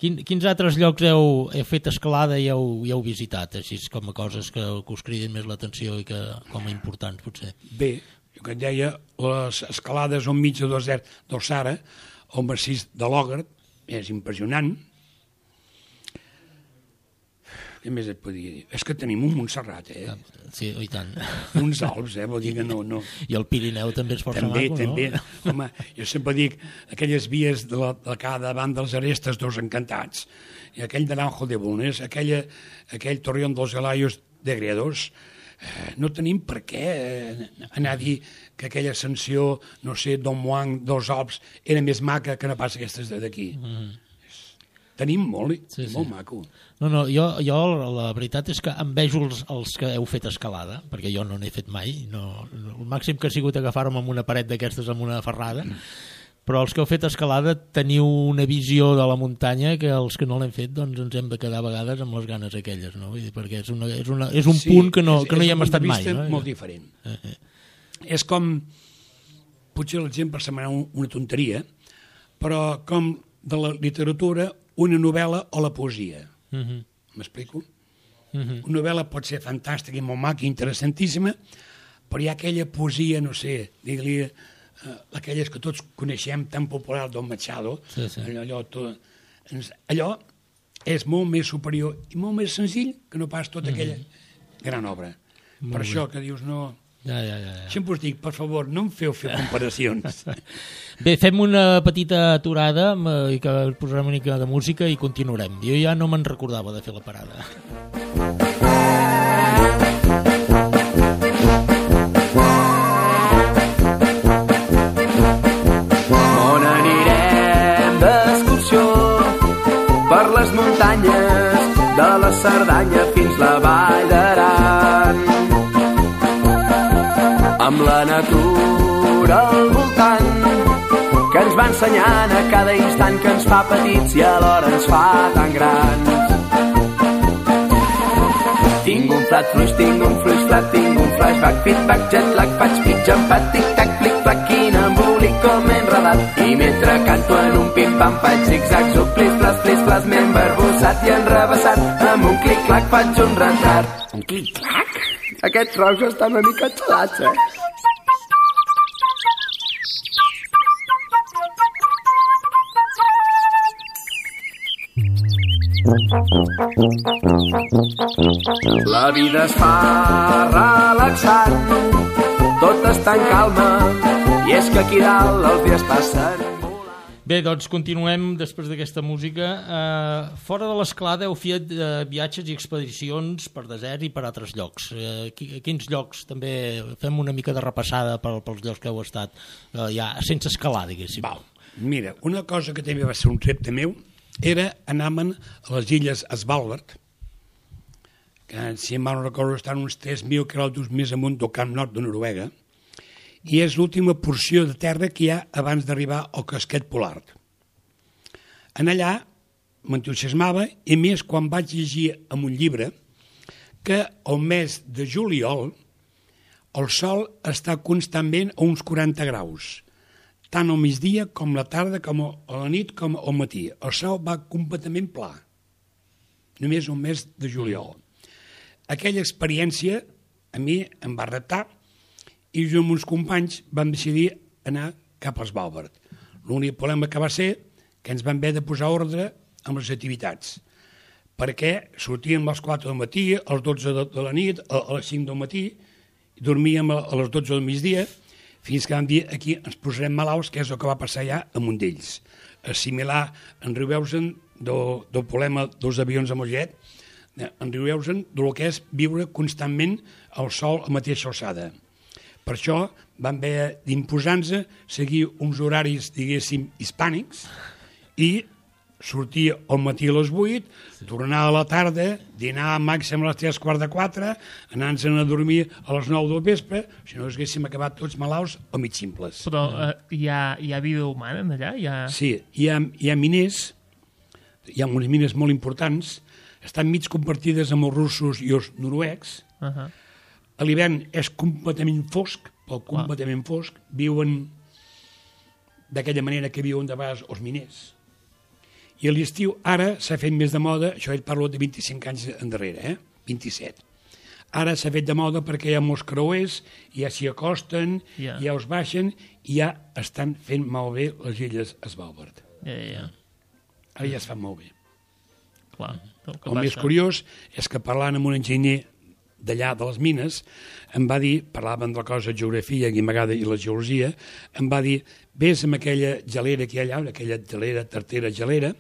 Quin, quins altres llocs heu, heu fet escalada i heu, i heu visitat, així com a coses que, que us criden més l'atenció i que com a importants, potser? Bé, jo que et deia, les escalades al mig del desert del Sahara, el massís de l'Ogre, és impressionant. Què més et podia dir? És que tenim un Montserrat, eh? Sí, i tant. Uns Alps, eh? Vol dir que no... no. I el Pirineu també és força també, maco, també. no? Home, jo sempre dic, aquelles vies de, la, de cada banda dels Arestes dos Encantats, i aquell de l'Anjo de Bulnes, aquella, aquell Torreón dels Alayos de Gredos, eh, no tenim per què eh, anar a dir que aquella ascensió, no sé, Don Juan, dels Alps, era més maca que no pas aquestes d'aquí. Mm. Tenim molt, sí, sí. Molt maco. No, no, jo, jo la veritat és que envejo els, els que heu fet escalada, perquè jo no n'he fet mai. No, el màxim que ha sigut agafar-me amb una paret d'aquestes amb una ferrada, mm. però els que heu fet escalada teniu una visió de la muntanya que els que no l'hem fet doncs ens hem de quedar a vegades amb les ganes aquelles, no? Vull dir, perquè és, una, és, una, és un sí, punt que no, és, que no hi hem estat mai. És un punt de vista no? molt diferent. Eh, eh. És com, potser l'exemple semblarà una tonteria, però com de la literatura, una novel·la o la poesia. Uh-huh. M'explico? Uh-huh. Una novel·la pot ser fantàstica i molt maca i interessantíssima, però hi ha aquella poesia, no sé, digue-li, uh, aquelles que tots coneixem, tan popular del Machado, sí, sí. allò, allò, tot, allò és molt més superior i molt més senzill que no pas tota aquella mm-hmm. gran obra. Molt per bé. Això que dius no... Ja, ja, ja, ja. Sempre us dic, per favor, no em feu fer comparacions. Bé, fem una petita aturada i que posarem una mica de música i continuarem. Jo ja no me'n recordava de fer la parada. On anirem d'excursió per les muntanyes de la Cerdanya fins la Vall d'Aran, amb la natura al voltant que ens va ensenyant a cada instant que ens fa petits i alhora ens fa tan grans. Tinc un plat fluix, tinc un fluix flat, tinc un flashback, feedback, jetlag, faig pitjam, pat, tic-tac, flic-flac, quin embolic com enredat. I mentre canto en un pim-pam faig zig-zags, o plis-plas, plis-plas, m'he embarbussat i enrebaçat. Amb un clic-clac faig un retrat. Un clic-clac? Aquests rocs estan una mica xalats, eh? La vida es fa relaxant, tot està en calma, i és que aquí dalt els dies passen. Bé, doncs continuem després d'aquesta música. Eh, fora de l'Esclada heu fet eh, viatges i expedicions per desert i per altres llocs. Eh, quins llocs? També fem una mica de repassada per, pels llocs que heu estat, eh, ja sense escalar, diguéssim. Val. Mira, una cosa que també va ser un repte meu era anar-me'n a les illes Svalbard, que si em van recordar estan uns tres mil quilòmetres més amunt del Camp Nord de Noruega, i és l'última porció de terra que hi ha abans d'arribar al casquet polar. En allà m'entusiasmava, i més quan vaig llegir en un llibre que el mes de juliol el sol està constantment a uns quaranta graus, tant al migdia com la tarda, com a la nit, com al matí. El sol va completament pla, només un mes de juliol. Aquella experiència a mi em va reptar, i jo amb uns companys vam decidir anar cap a Svalbard. L'únic problema que va ser que ens vam haver de posar ordre amb les activitats, perquè sortíem a les quatre del matí, a les dotze de la nit, a les cinc del matí, i dormíem a les dotze del migdia, fins que vam dir aquí ens posarem malalts, que és el que va passar ja a un d'ells. Assimilar, en riu-veusen del, del problema dels avions a Mollet, en riu-veusen del que és viure constantment al sol a mateixa alçada. Per això vam haver d'imposar-nos seguir uns horaris, diguéssim, hispànics, i sortir al matí a les vuit, tornar a la tarda, dinar màxim a les tres quarts de quatre, anar-nos a dormir a les nou del vespre, si no haguéssim acabat tots malalts o mig simples. Però eh, hi, ha, hi ha vida humana allà? Hi ha... Sí, hi ha, hi ha miners, hi ha unes mines molt importants, estan mig compartides amb els russos i els noruecs. Uh -huh. A l'hivern és completament fosc, però completament fosc, viuen d'aquella manera que viuen de vegades els miners. I a l'estiu ara s'ha fet més de moda, això et parlo de vint-i-cinc anys endarrere, eh? vint-i-set. Ara s'ha fet de moda perquè hi ha molts creuers, ja s'hi acosten, yeah. ja els baixen, i ja estan fent malbé les illes Svalbard. Ja, ja, ja. Ara ja es fan molt bé. Clar, el el més curiós és que parlant amb un enginyer d'allà de les mines, em va dir, parlàvem de la cosa de geografia i m'agrada i la geologia, em va dir, ves amb aquella gelera que hi ha allà, aquella gelera, tartera gelera,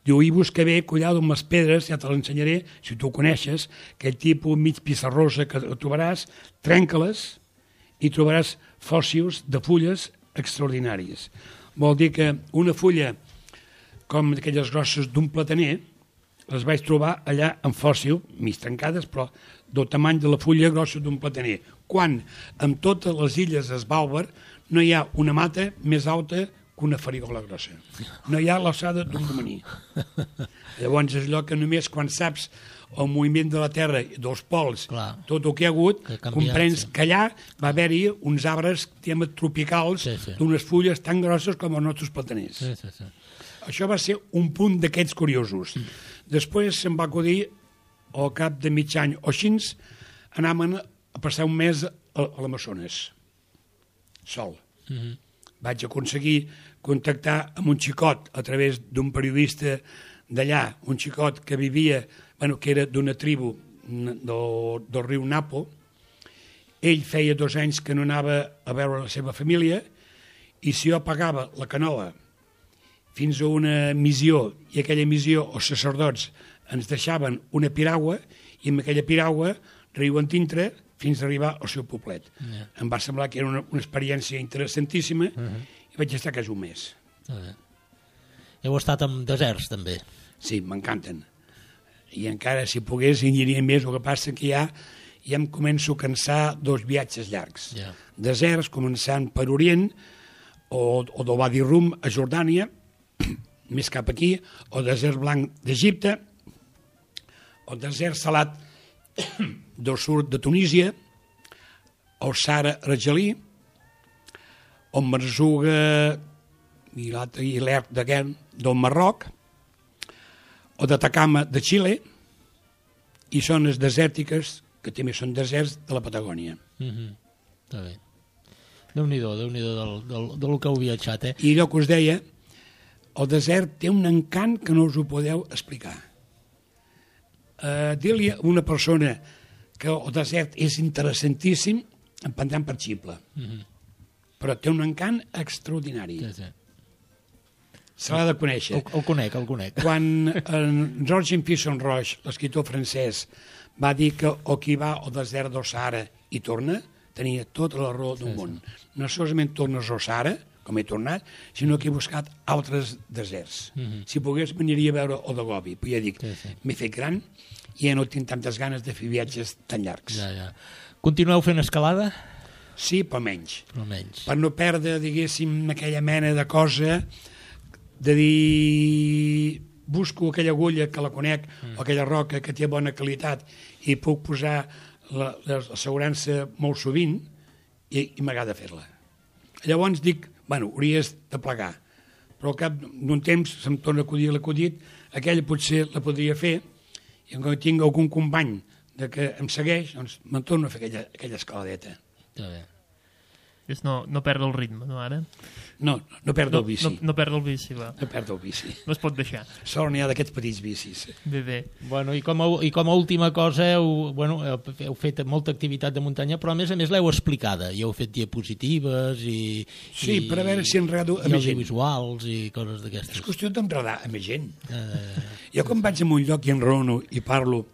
diu, i busca bé, cuidado amb les pedres, ja te l'ensenyaré, si tu ho coneixes, aquell tipus mig pissarrosa que trobaràs, trenca-les i trobaràs fòssils de fulles extraordinàries. Vol dir que una fulla com aquelles grosses d'un plataner, les vaig trobar allà en fòssil, mig trencades, però del tamany de la fulla grossa d'un plataner, quan en totes les illes Svalbard no hi ha una mata més alta que una farigola grossa. No hi ha l'alçada d'un romaní. Llavors és allò que només quan saps el moviment de la Terra, dels pols, clar, tot el que hi ha hagut, que canviat, comprens sí. que allà va haver-hi uns arbres tropicals sí, sí. d'unes fulles tan grosses com els nostres plataners. Sí, sí, sí. Això va ser un punt d'aquests curiosos. Mm. Després se'm va acudir, al cap de mig any o així, anàvem a passar un mes a, a l'Amazones, sol. Mm-hmm. Vaig aconseguir contactar amb un xicot a través d'un periodista d'allà, un xicot que vivia, bueno, que era d'una tribu del, del riu Napo. Ell feia dos anys que no anava a veure la seva família, i si jo pagava la canoa fins a una missió, i aquella missió els sacerdots ens deixaven una piragua, i amb aquella piragua riuen dintre fins a arribar al seu poblet. Yeah. Em va semblar que era una, una experiència interessantíssima, uh -huh. i vaig estar quasi un mes. Uh -huh. Heu estat en deserts, també? Sí, m'encanten. I encara, si pogués, hi aniria més. El que passa que ja, ja em començo a cansar dos viatges llargs. Yeah. Deserts, començant per Orient, o, o del Wadi Rum a Jordània, més cap aquí, o desert blanc d'Egipte, o desert salat del sud de Tunísia, o Sahara argelí, o Marzuga i l'Ert de Guern del Marroc, o d'Atacama de Xile, i zones desèrtiques que també són deserts de la Patagònia. Mm-hmm. Està bé. Déu-n'hi-do, Déu-n'hi-do del, del, del que heu viatjat, eh? I allò que us deia, el desert té un encant que no us ho podeu explicar. Uh, dir-li a una persona que el desert és interessantíssim, em prendran per ximple. Mm-hmm. Però té un encant extraordinari. Sí, sí. Se l'ha de conèixer. El, el conec, el conec. Quan en Georges Fisson Roche, l'escriptor francès, va dir que o qui va al desert del Sahara i torna, tenia tota la raó del sí, món. Sí. No solament tornes al Sahara, com he tornat, sinó que he buscat altres deserts. Mm-hmm. Si pogués, veniria a veure el de Gobi. Però ja dic, sí, sí. m'he fet gran i ja no tinc tantes ganes de fer viatges tan llargs. Ja, ja. Continueu fent escalada? Sí, però menys. Però menys. Per no perdre, diguéssim, aquella mena de cosa de dir busco aquella agulla que la conec, mm. o aquella roca que té bona qualitat i puc posar l'assegurança molt sovint i, i m'agrada fer-la. Llavors dic, bueno, hauries de plegar, però al cap d'un temps se'm torna a acudir l'acudit, aquella potser la podria fer, i quan tinc algun company de que em segueix, doncs me'n torno a fer aquella, aquella escaladeta. Està bé. És no, no perdre el ritme, no, ara? No, no perdo no, el bici. No, no perdo el bici, va. No perdo el bici. No es pot deixar. Sort n'hi ha d'aquests petits bicis. Bé, bé. Bueno, i com a, i com a última cosa, heu, bueno, heu fet molta activitat de muntanya, però a més a més l'heu explicada, i heu fet diapositives i... Sí, i, per a veure si enredo a més gent. I audiovisuals i coses d'aquestes. És qüestió d'enredar a més gent. Uh, jo quan vaig a un lloc i enrono i parlo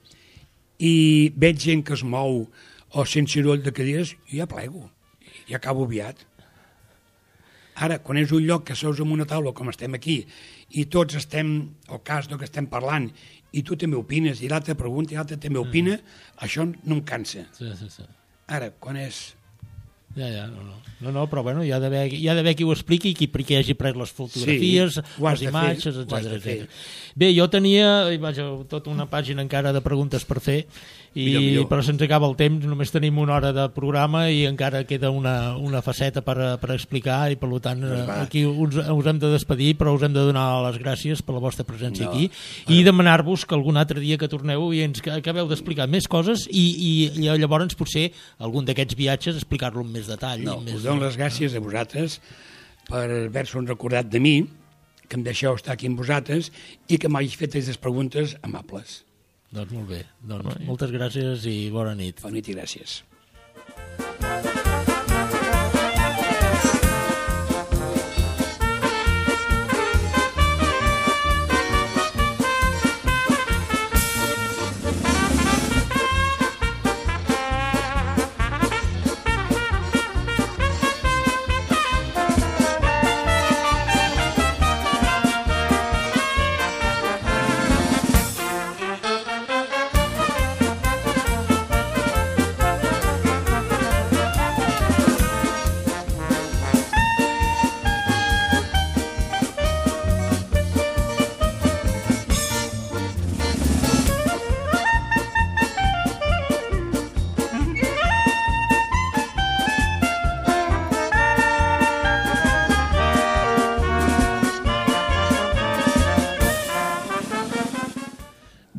i veig gent que es mou o sent soroll de cadires, jo ja plego, ja acabo aviat. Ara, quan és un lloc que seus en una taula com estem aquí i tots estem al cas del que estem parlant i tu també opines i l'altre pregunta i l'altre també opina, mm. això no em cansa. Sí, sí, sí. Ara, quan és... Ja, ja, no, no. No, no, però bueno, hi ha d'haver hi ha d'haver qui ho expliqui i qui, qui hagi pres les fotografies, sí, les imatges, etcètera. Bé, jo tenia, vaja, tota una pàgina encara de preguntes per fer, i, millor, millor. Però se'ns acaba el temps, només tenim una hora de programa i encara queda una, una faceta per, per explicar i per tant aquí us, us hem de despedir, però us hem de donar les gràcies per la vostra presència no. aquí i demanar-vos que algun altre dia que torneu i ens acabeu d'explicar més coses i, i llavors potser algun d'aquests viatges explicar-lo amb més detall. No, més... us dono les gràcies a vosaltres per haver-vos recordat de mi, que em deixeu estar aquí amb vosaltres i que m'hagi fet aquestes preguntes amables. Doncs molt bé. Doncs moltes gràcies i bona nit. Bona nit i gràcies.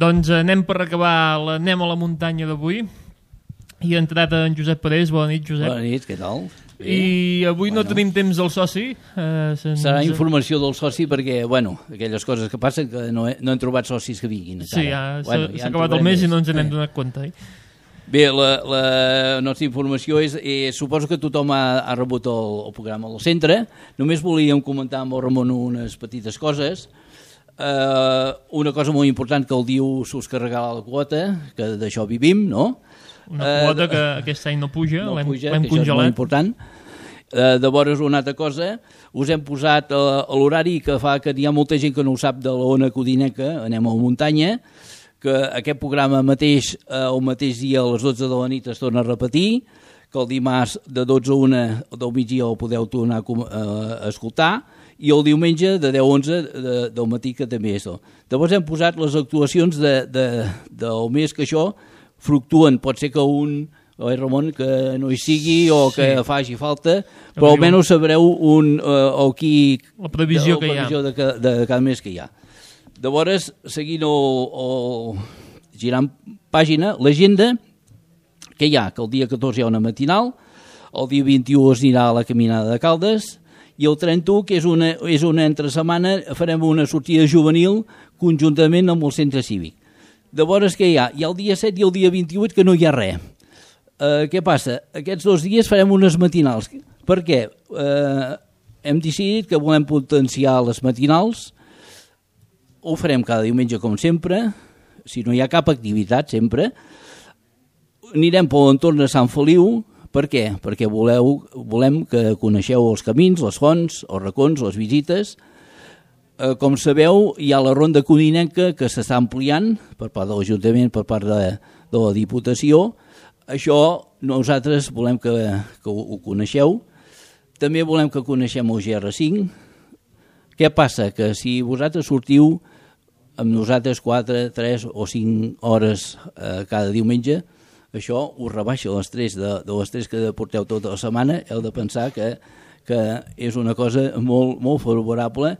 Doncs anem per acabar l'Anem a la muntanya d'avui i ha entrat en Josep Parés. Bona nit, Josep. Bona nit, què tal? I avui Bueno. no tenim temps del soci. Eh, se'ns- Serà informació del soci perquè, bueno, aquelles coses que passen que no, he, no hem trobat socis que vinguin. Sí, encara. ja s'ha Bueno, s'ha ja en acabat el trobarem mes i més. no ens n'hem Eh. donat compte. Eh? Bé, la, la nostra informació és, eh, suposo que tothom ha, ha rebut el, el programa del centre. Només volíem comentar amb el Ramon unes petites coses. Eh, una cosa molt important que el diu s'us carregarà la quota, que d'això vivim, no? Una quota que aquest any no puja, no l'hem puja, l'hem que això és molt congelat. important. Eh, llavors, una altra cosa, us hem posat eh, a l'horari que fa que hi ha molta gent que no ho sap de l'Ona Codinenca, anem a la muntanya, que aquest programa mateix, eh, el mateix dia a les dotze de la nit es torna a repetir, que el dimarts de dotze a una del migdia el podeu tornar a, com- a escoltar, i el diumenge de deu a onze de, del matí que també és. Llavors hem posat les actuacions de, de, del mes que això fluctuen, pot ser que un oi, Ramon, que no hi sigui o que Sí. faci falta, però almenys sabreu un, eh, o qui, La previsió la que hi ha. previsió de, ca- de cada mes que hi ha. Llavors, seguint el, el girant pàgina, l'agenda que hi ha, que el dia catorze hi ha una matinal, el dia vint-i-u es anirà a la caminada de Caldes, i el trenta-u, que és una, és una entre setmana, farem una sortida juvenil conjuntament amb el centre cívic. Llavors, què hi ha? Hi ha el dia set i el dia vint-i-vuit que no hi ha res. Uh, què passa? Aquests dos dies farem unes matinals. Per què? Uh, hem decidit que volem potenciar les matinals, ho farem cada diumenge com sempre, si no hi ha cap activitat sempre, anirem per l'entorn de Sant Feliu. Per què? Perquè voleu, volem que coneixeu els camins, les fonts, els racons, les visites. Eh, com sabeu, hi ha la ronda codinenca que s'està ampliant per part de l'Ajuntament, per part de, de la Diputació. Això nosaltres volem que, que ho, ho coneixeu. També volem que coneixem el G R cinc. Què passa? Que si vosaltres sortiu amb nosaltres quatre, tres o cinc hores eh, cada diumenge, això us rebaixa l'estrès de, de l'estrès que porteu tota la setmana. Heu de pensar que, que és una cosa molt, molt favorable.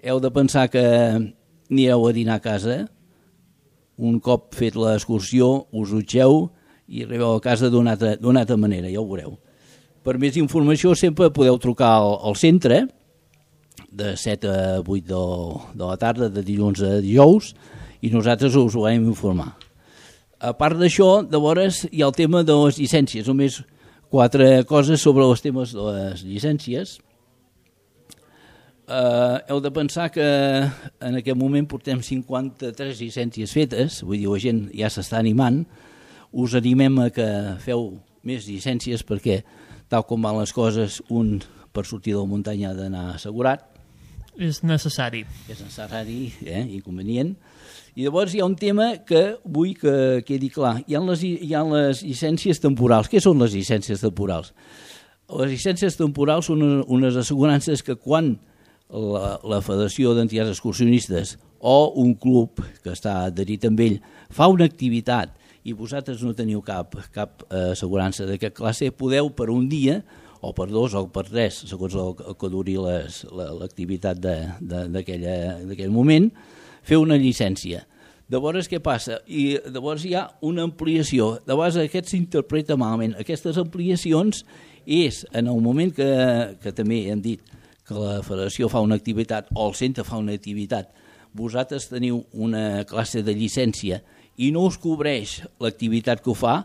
Heu de pensar que anireu a dinar a casa, un cop fet l'excursió us dutxeu i arribeu a casa d'una altra, d'una altra manera, ja ho veureu. Per més informació sempre podeu trucar al, al centre de set a vuit de, de la tarda, de dilluns a dijous, i nosaltres us ho vam informar. A part d'això, llavors hi ha el tema de les llicències, només quatre coses sobre els temes de les llicències. Uh, heu de pensar que en aquest moment portem cinquanta-tres llicències fetes, vull dir, la gent ja s'està animant, us animem a que feu més llicències perquè, tal com van les coses, un per sortir de la muntanya ha d'anar assegurat. És necessari. És necessari, eh, inconvenient. I llavors hi ha un tema que vull que quedi clar. Hi ha les, hi ha les llicències temporals. Què són les llicències temporals? Les llicències temporals són unes assegurances que quan la, la Federació d'Entitats Excursionistes o un club que està adherit amb ell fa una activitat i vosaltres no teniu cap, cap eh, assegurança d'aquest classe, podeu per un dia o per dos o per tres, segons el, el que duri les, la, l'activitat d'aquell moment, fer una llicència. Llavors què passa? I llavors hi ha una ampliació. Llavors aquest s'interpreta malament. Aquestes ampliacions és en el moment que, que també hem dit que la federació fa una activitat o el centre fa una activitat, vosaltres teniu una classe de llicència i no us cobreix l'activitat que ho fa,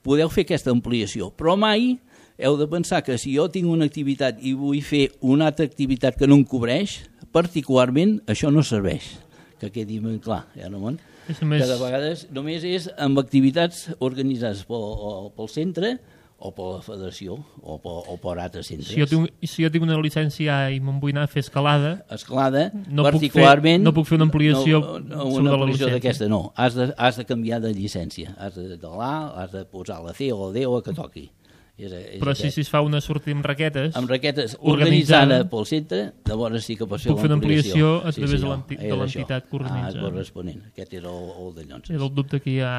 podeu fer aquesta ampliació. Però mai heu de pensar que si jo tinc una activitat i vull fer una altra activitat que no em cobreix, particularment això no serveix. Que quedi ben clar, eh, Ramon? Només... Que de vegades només és amb activitats organitzades pel, pel centre o per la federació o per, o per altres centres. Si jo, tinc, si jo tinc una llicència i me'n vull anar a fer escalada, escalada no particularment... Puc fer, no puc fer una ampliació no, no, sobre una la ampliació llicència. d'aquesta no, has de, has de canviar de llicència, has de, de l'A, has de posar la C o la D o la que toqui. És, és Però si, si es fa una sortida amb raquetes, amb raquetes organitzada, organitzada pel centre, llavors sí que pots fer puc fer una ampliació a sí, través sí, de no, l'enti- de és l'entitat que organitza. Ah, corresponent. Aquest era el, el de Llonses. és el dubte que hi ha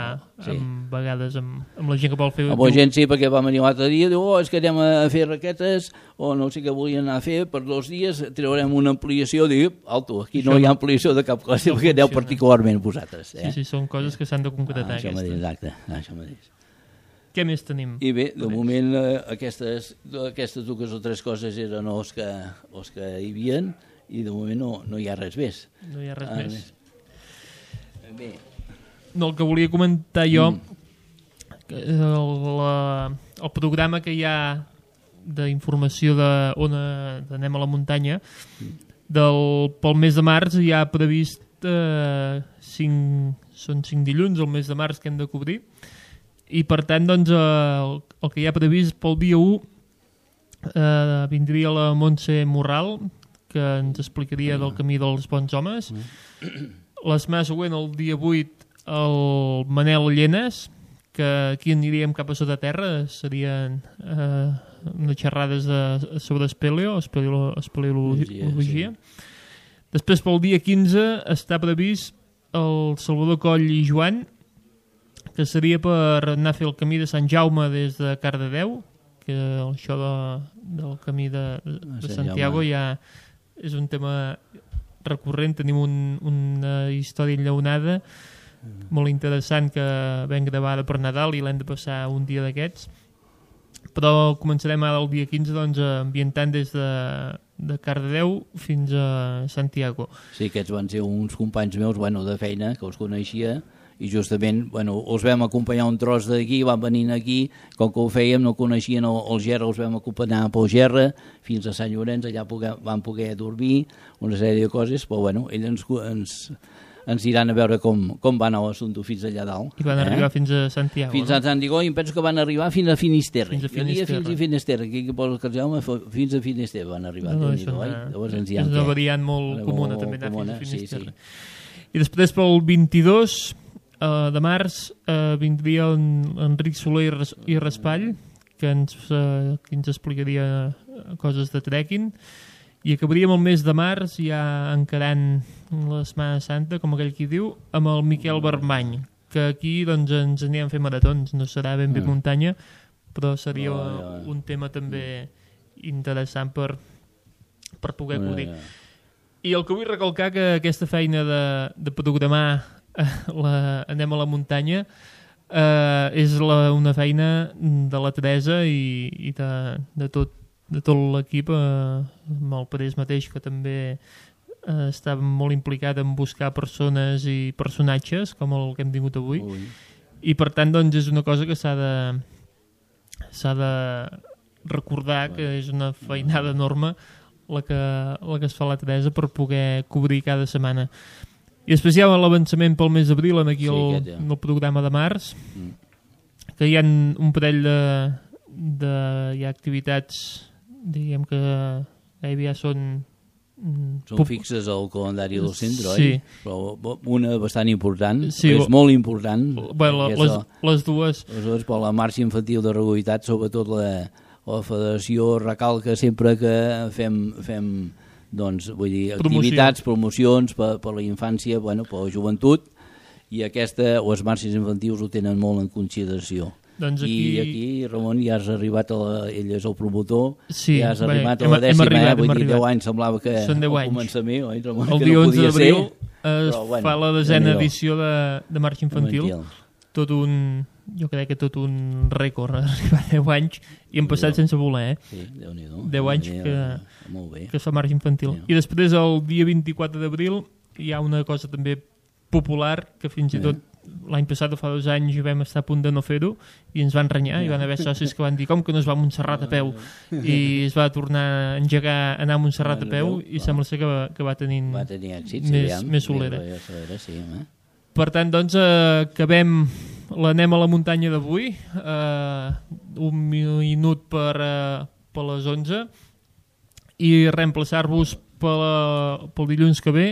Sí. amb vegades amb, amb la gent que vol fer... Amb la gent sí, perquè va venir l'altre dia, diu, oh, és que anem a fer raquetes, o no sé què volien anar a fer, per dos dies traurem una ampliació, diu, alto, aquí no Això hi ha no- ampliació de cap classe, no perquè aneu funciona. particularment vosaltres. Eh? Sí, sí, són coses que s'han de concretar. Ah, això aquestes. mateix, exacte, això mateix. què més tenim? I bé, de moment eh, aquestes, aquestes dues o tres coses eren els que, els que hi havia i de moment no, no hi ha res més. No hi ha res ah, més. Bé. No, el que volia comentar jo, mm. el, la, el programa que hi ha d'informació de Ona d'Anem a la Muntanya, del, pel mes de març hi ha previst eh, cinc, són cinc dilluns, el mes de març que hem de cobrir, i per tant doncs, el, el que hi ha previst pel dia u eh, vindria la Montse Morral, que ens explicaria del camí dels bons homes. La setmana següent, el dia vuit, el Manel Llenes, que aquí aniríem cap a sota terra, serien eh, unes xerrades de, sobre espeleo, espeleo, espeleologia. Sí. Després, pel dia quinze, està previst el Salvador Coll i Joan, que seria per anar a fer el camí de Sant Jaume des de Cardedeu, que això de, del camí de, de Santiago ja és un tema recurrent. Tenim un, una història enllaunada molt interessant que vam gravar per Nadal i l'hem de passar un dia d'aquests, però començarem ara el dia quinze doncs, ambientant des de, de Cardedeu fins a Santiago. Sí, aquests van ser uns companys meus, bueno, de feina, que els coneixia, i justament, bueno, els vam acompanyar un tros d'aquí, van venint aquí, com que ho fèiem, no coneixien el, el Gerra, els vam acompanyar pel Gerra fins a Sant Llorenç, allà poder, van poder dormir, una sèrie de coses, però bueno, ells ens, ens, ens iran a veure com, com va anar l'assumpte fins allà dalt. I van arribar eh? fins a Santiago, fins no? a Santiago, i em penso que van arribar fins a Finisterre. Fins a Finisterre. Fins a Finisterre, aquí que posa el Jaume, fins a Finisterre van arribar. No, no, és una, és una variant molt comuna, també anar fins a Finisterre. Sí, sí. I després pel vint-i-dos Uh, de març uh, vindria en Enric Soler i Raspall, que ens, uh, que ens explicaria coses de trekking, i acabaríem el mes de març ja encarant la Setmana Santa, com aquell qui diu, amb el Miquel Barmany, que aquí doncs, ens anirem a fer maratons. No serà ben bé muntanya, però seria oh, ja. un tema també interessant per, per poder oh, cobrir. Ja. I el que vull recalcar que aquesta feina de, de programar La, anem a la muntanya eh, és la, una feina de la Teresa i, i de, de tot, de tot l'equip, eh, amb el Parés mateix, que també eh, està molt implicat en buscar persones i personatges com el que hem tingut avui. Ui. I per tant doncs, és una cosa que s'ha de s'ha de recordar, que és una feinada enorme la que, la que es fa la Teresa per poder cobrir cada setmana. I després hi ha l'avançament pel mes d'abril en aquí sí, el, ja. el programa de març, mm. que hi ha un parell de, de hi ha activitats, diguem que gairebé ja són... Són pop... fixes al calendari del centre, sí. oi? Però una bastant important, sí, és molt important. Bueno, les, el, les dues... Les dues, per la marxa infantil de regularitat, sobretot la, la federació recalca sempre que fem... fem doncs, vull dir, activitats, promocions per, per la infància, bueno, per la joventut, i aquesta, les marxes infantils ho tenen molt en consideració. Doncs aquí... I aquí, Ramon, ja has arribat a la... ell és el promotor, sí, ja has bé, arribat hem, a la dècima, arribat, eh? Vull dir, arribat. deu anys semblava que Són deu al anys. començament, oi, Ramon, el que dia no onze d'abril es però, bueno, fa la desena edició de, de marxa infantil. infantil. Tot un... jo crec que tot un rècord, arribar a deu anys, i hem passat sense voler, eh? Sí, Déu-n'hi-do. deu anys que, molt bé. que es fa marxa infantil. Sí. I després, el dia vint-i-quatre d'abril, hi ha una cosa també popular, que fins i tot l'any passat, fa dos anys, vam estar a punt de no fer-ho, i ens van renyar, i van haver socis que van dir com que no es va a Montserrat a peu, i es va tornar a engegar, anar a Montserrat a peu, i sembla ser que va, que va tenint va tenir èxit, més, sí, més solera. Sí, eh? Per tant, doncs, eh, acabem l'anem a la muntanya d'avui, eh, un minut per, eh, per les onze, i reemplaçar-vos pel dilluns que ve,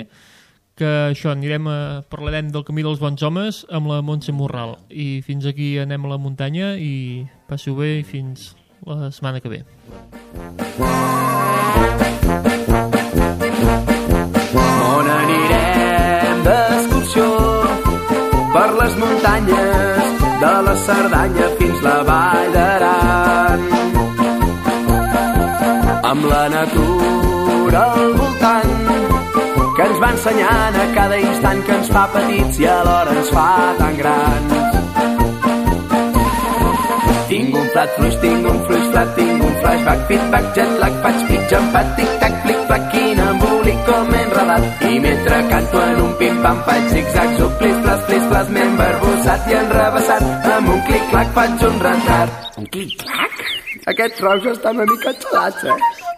que això, anirem a, parlarem del camí dels bons homes amb la Montse Morral. I fins aquí anem a la muntanya, i passeu bé i fins la setmana que ve. On anirem d'excursió per les muntanyes de la Cerdanya fins la Vall d'Aran, amb la natura al voltant que ens va ensenyant a cada instant, que ens fa petits i alhora ens fa tan grans. plat fluix, tinc un fluix flat, tinc un flashback, feedback, jet lag, faig pitch, empat, tic-tac, flic-flac, quin embolic com he enredat. I mentre canto en un pim-pam faig zig-zags, o plis-plas, plis-plas, m'he embarbussat i enrebaçat. Amb un clic-clac faig un retard. Un clic-clac? Aquests rocs estan una mica xalats, eh?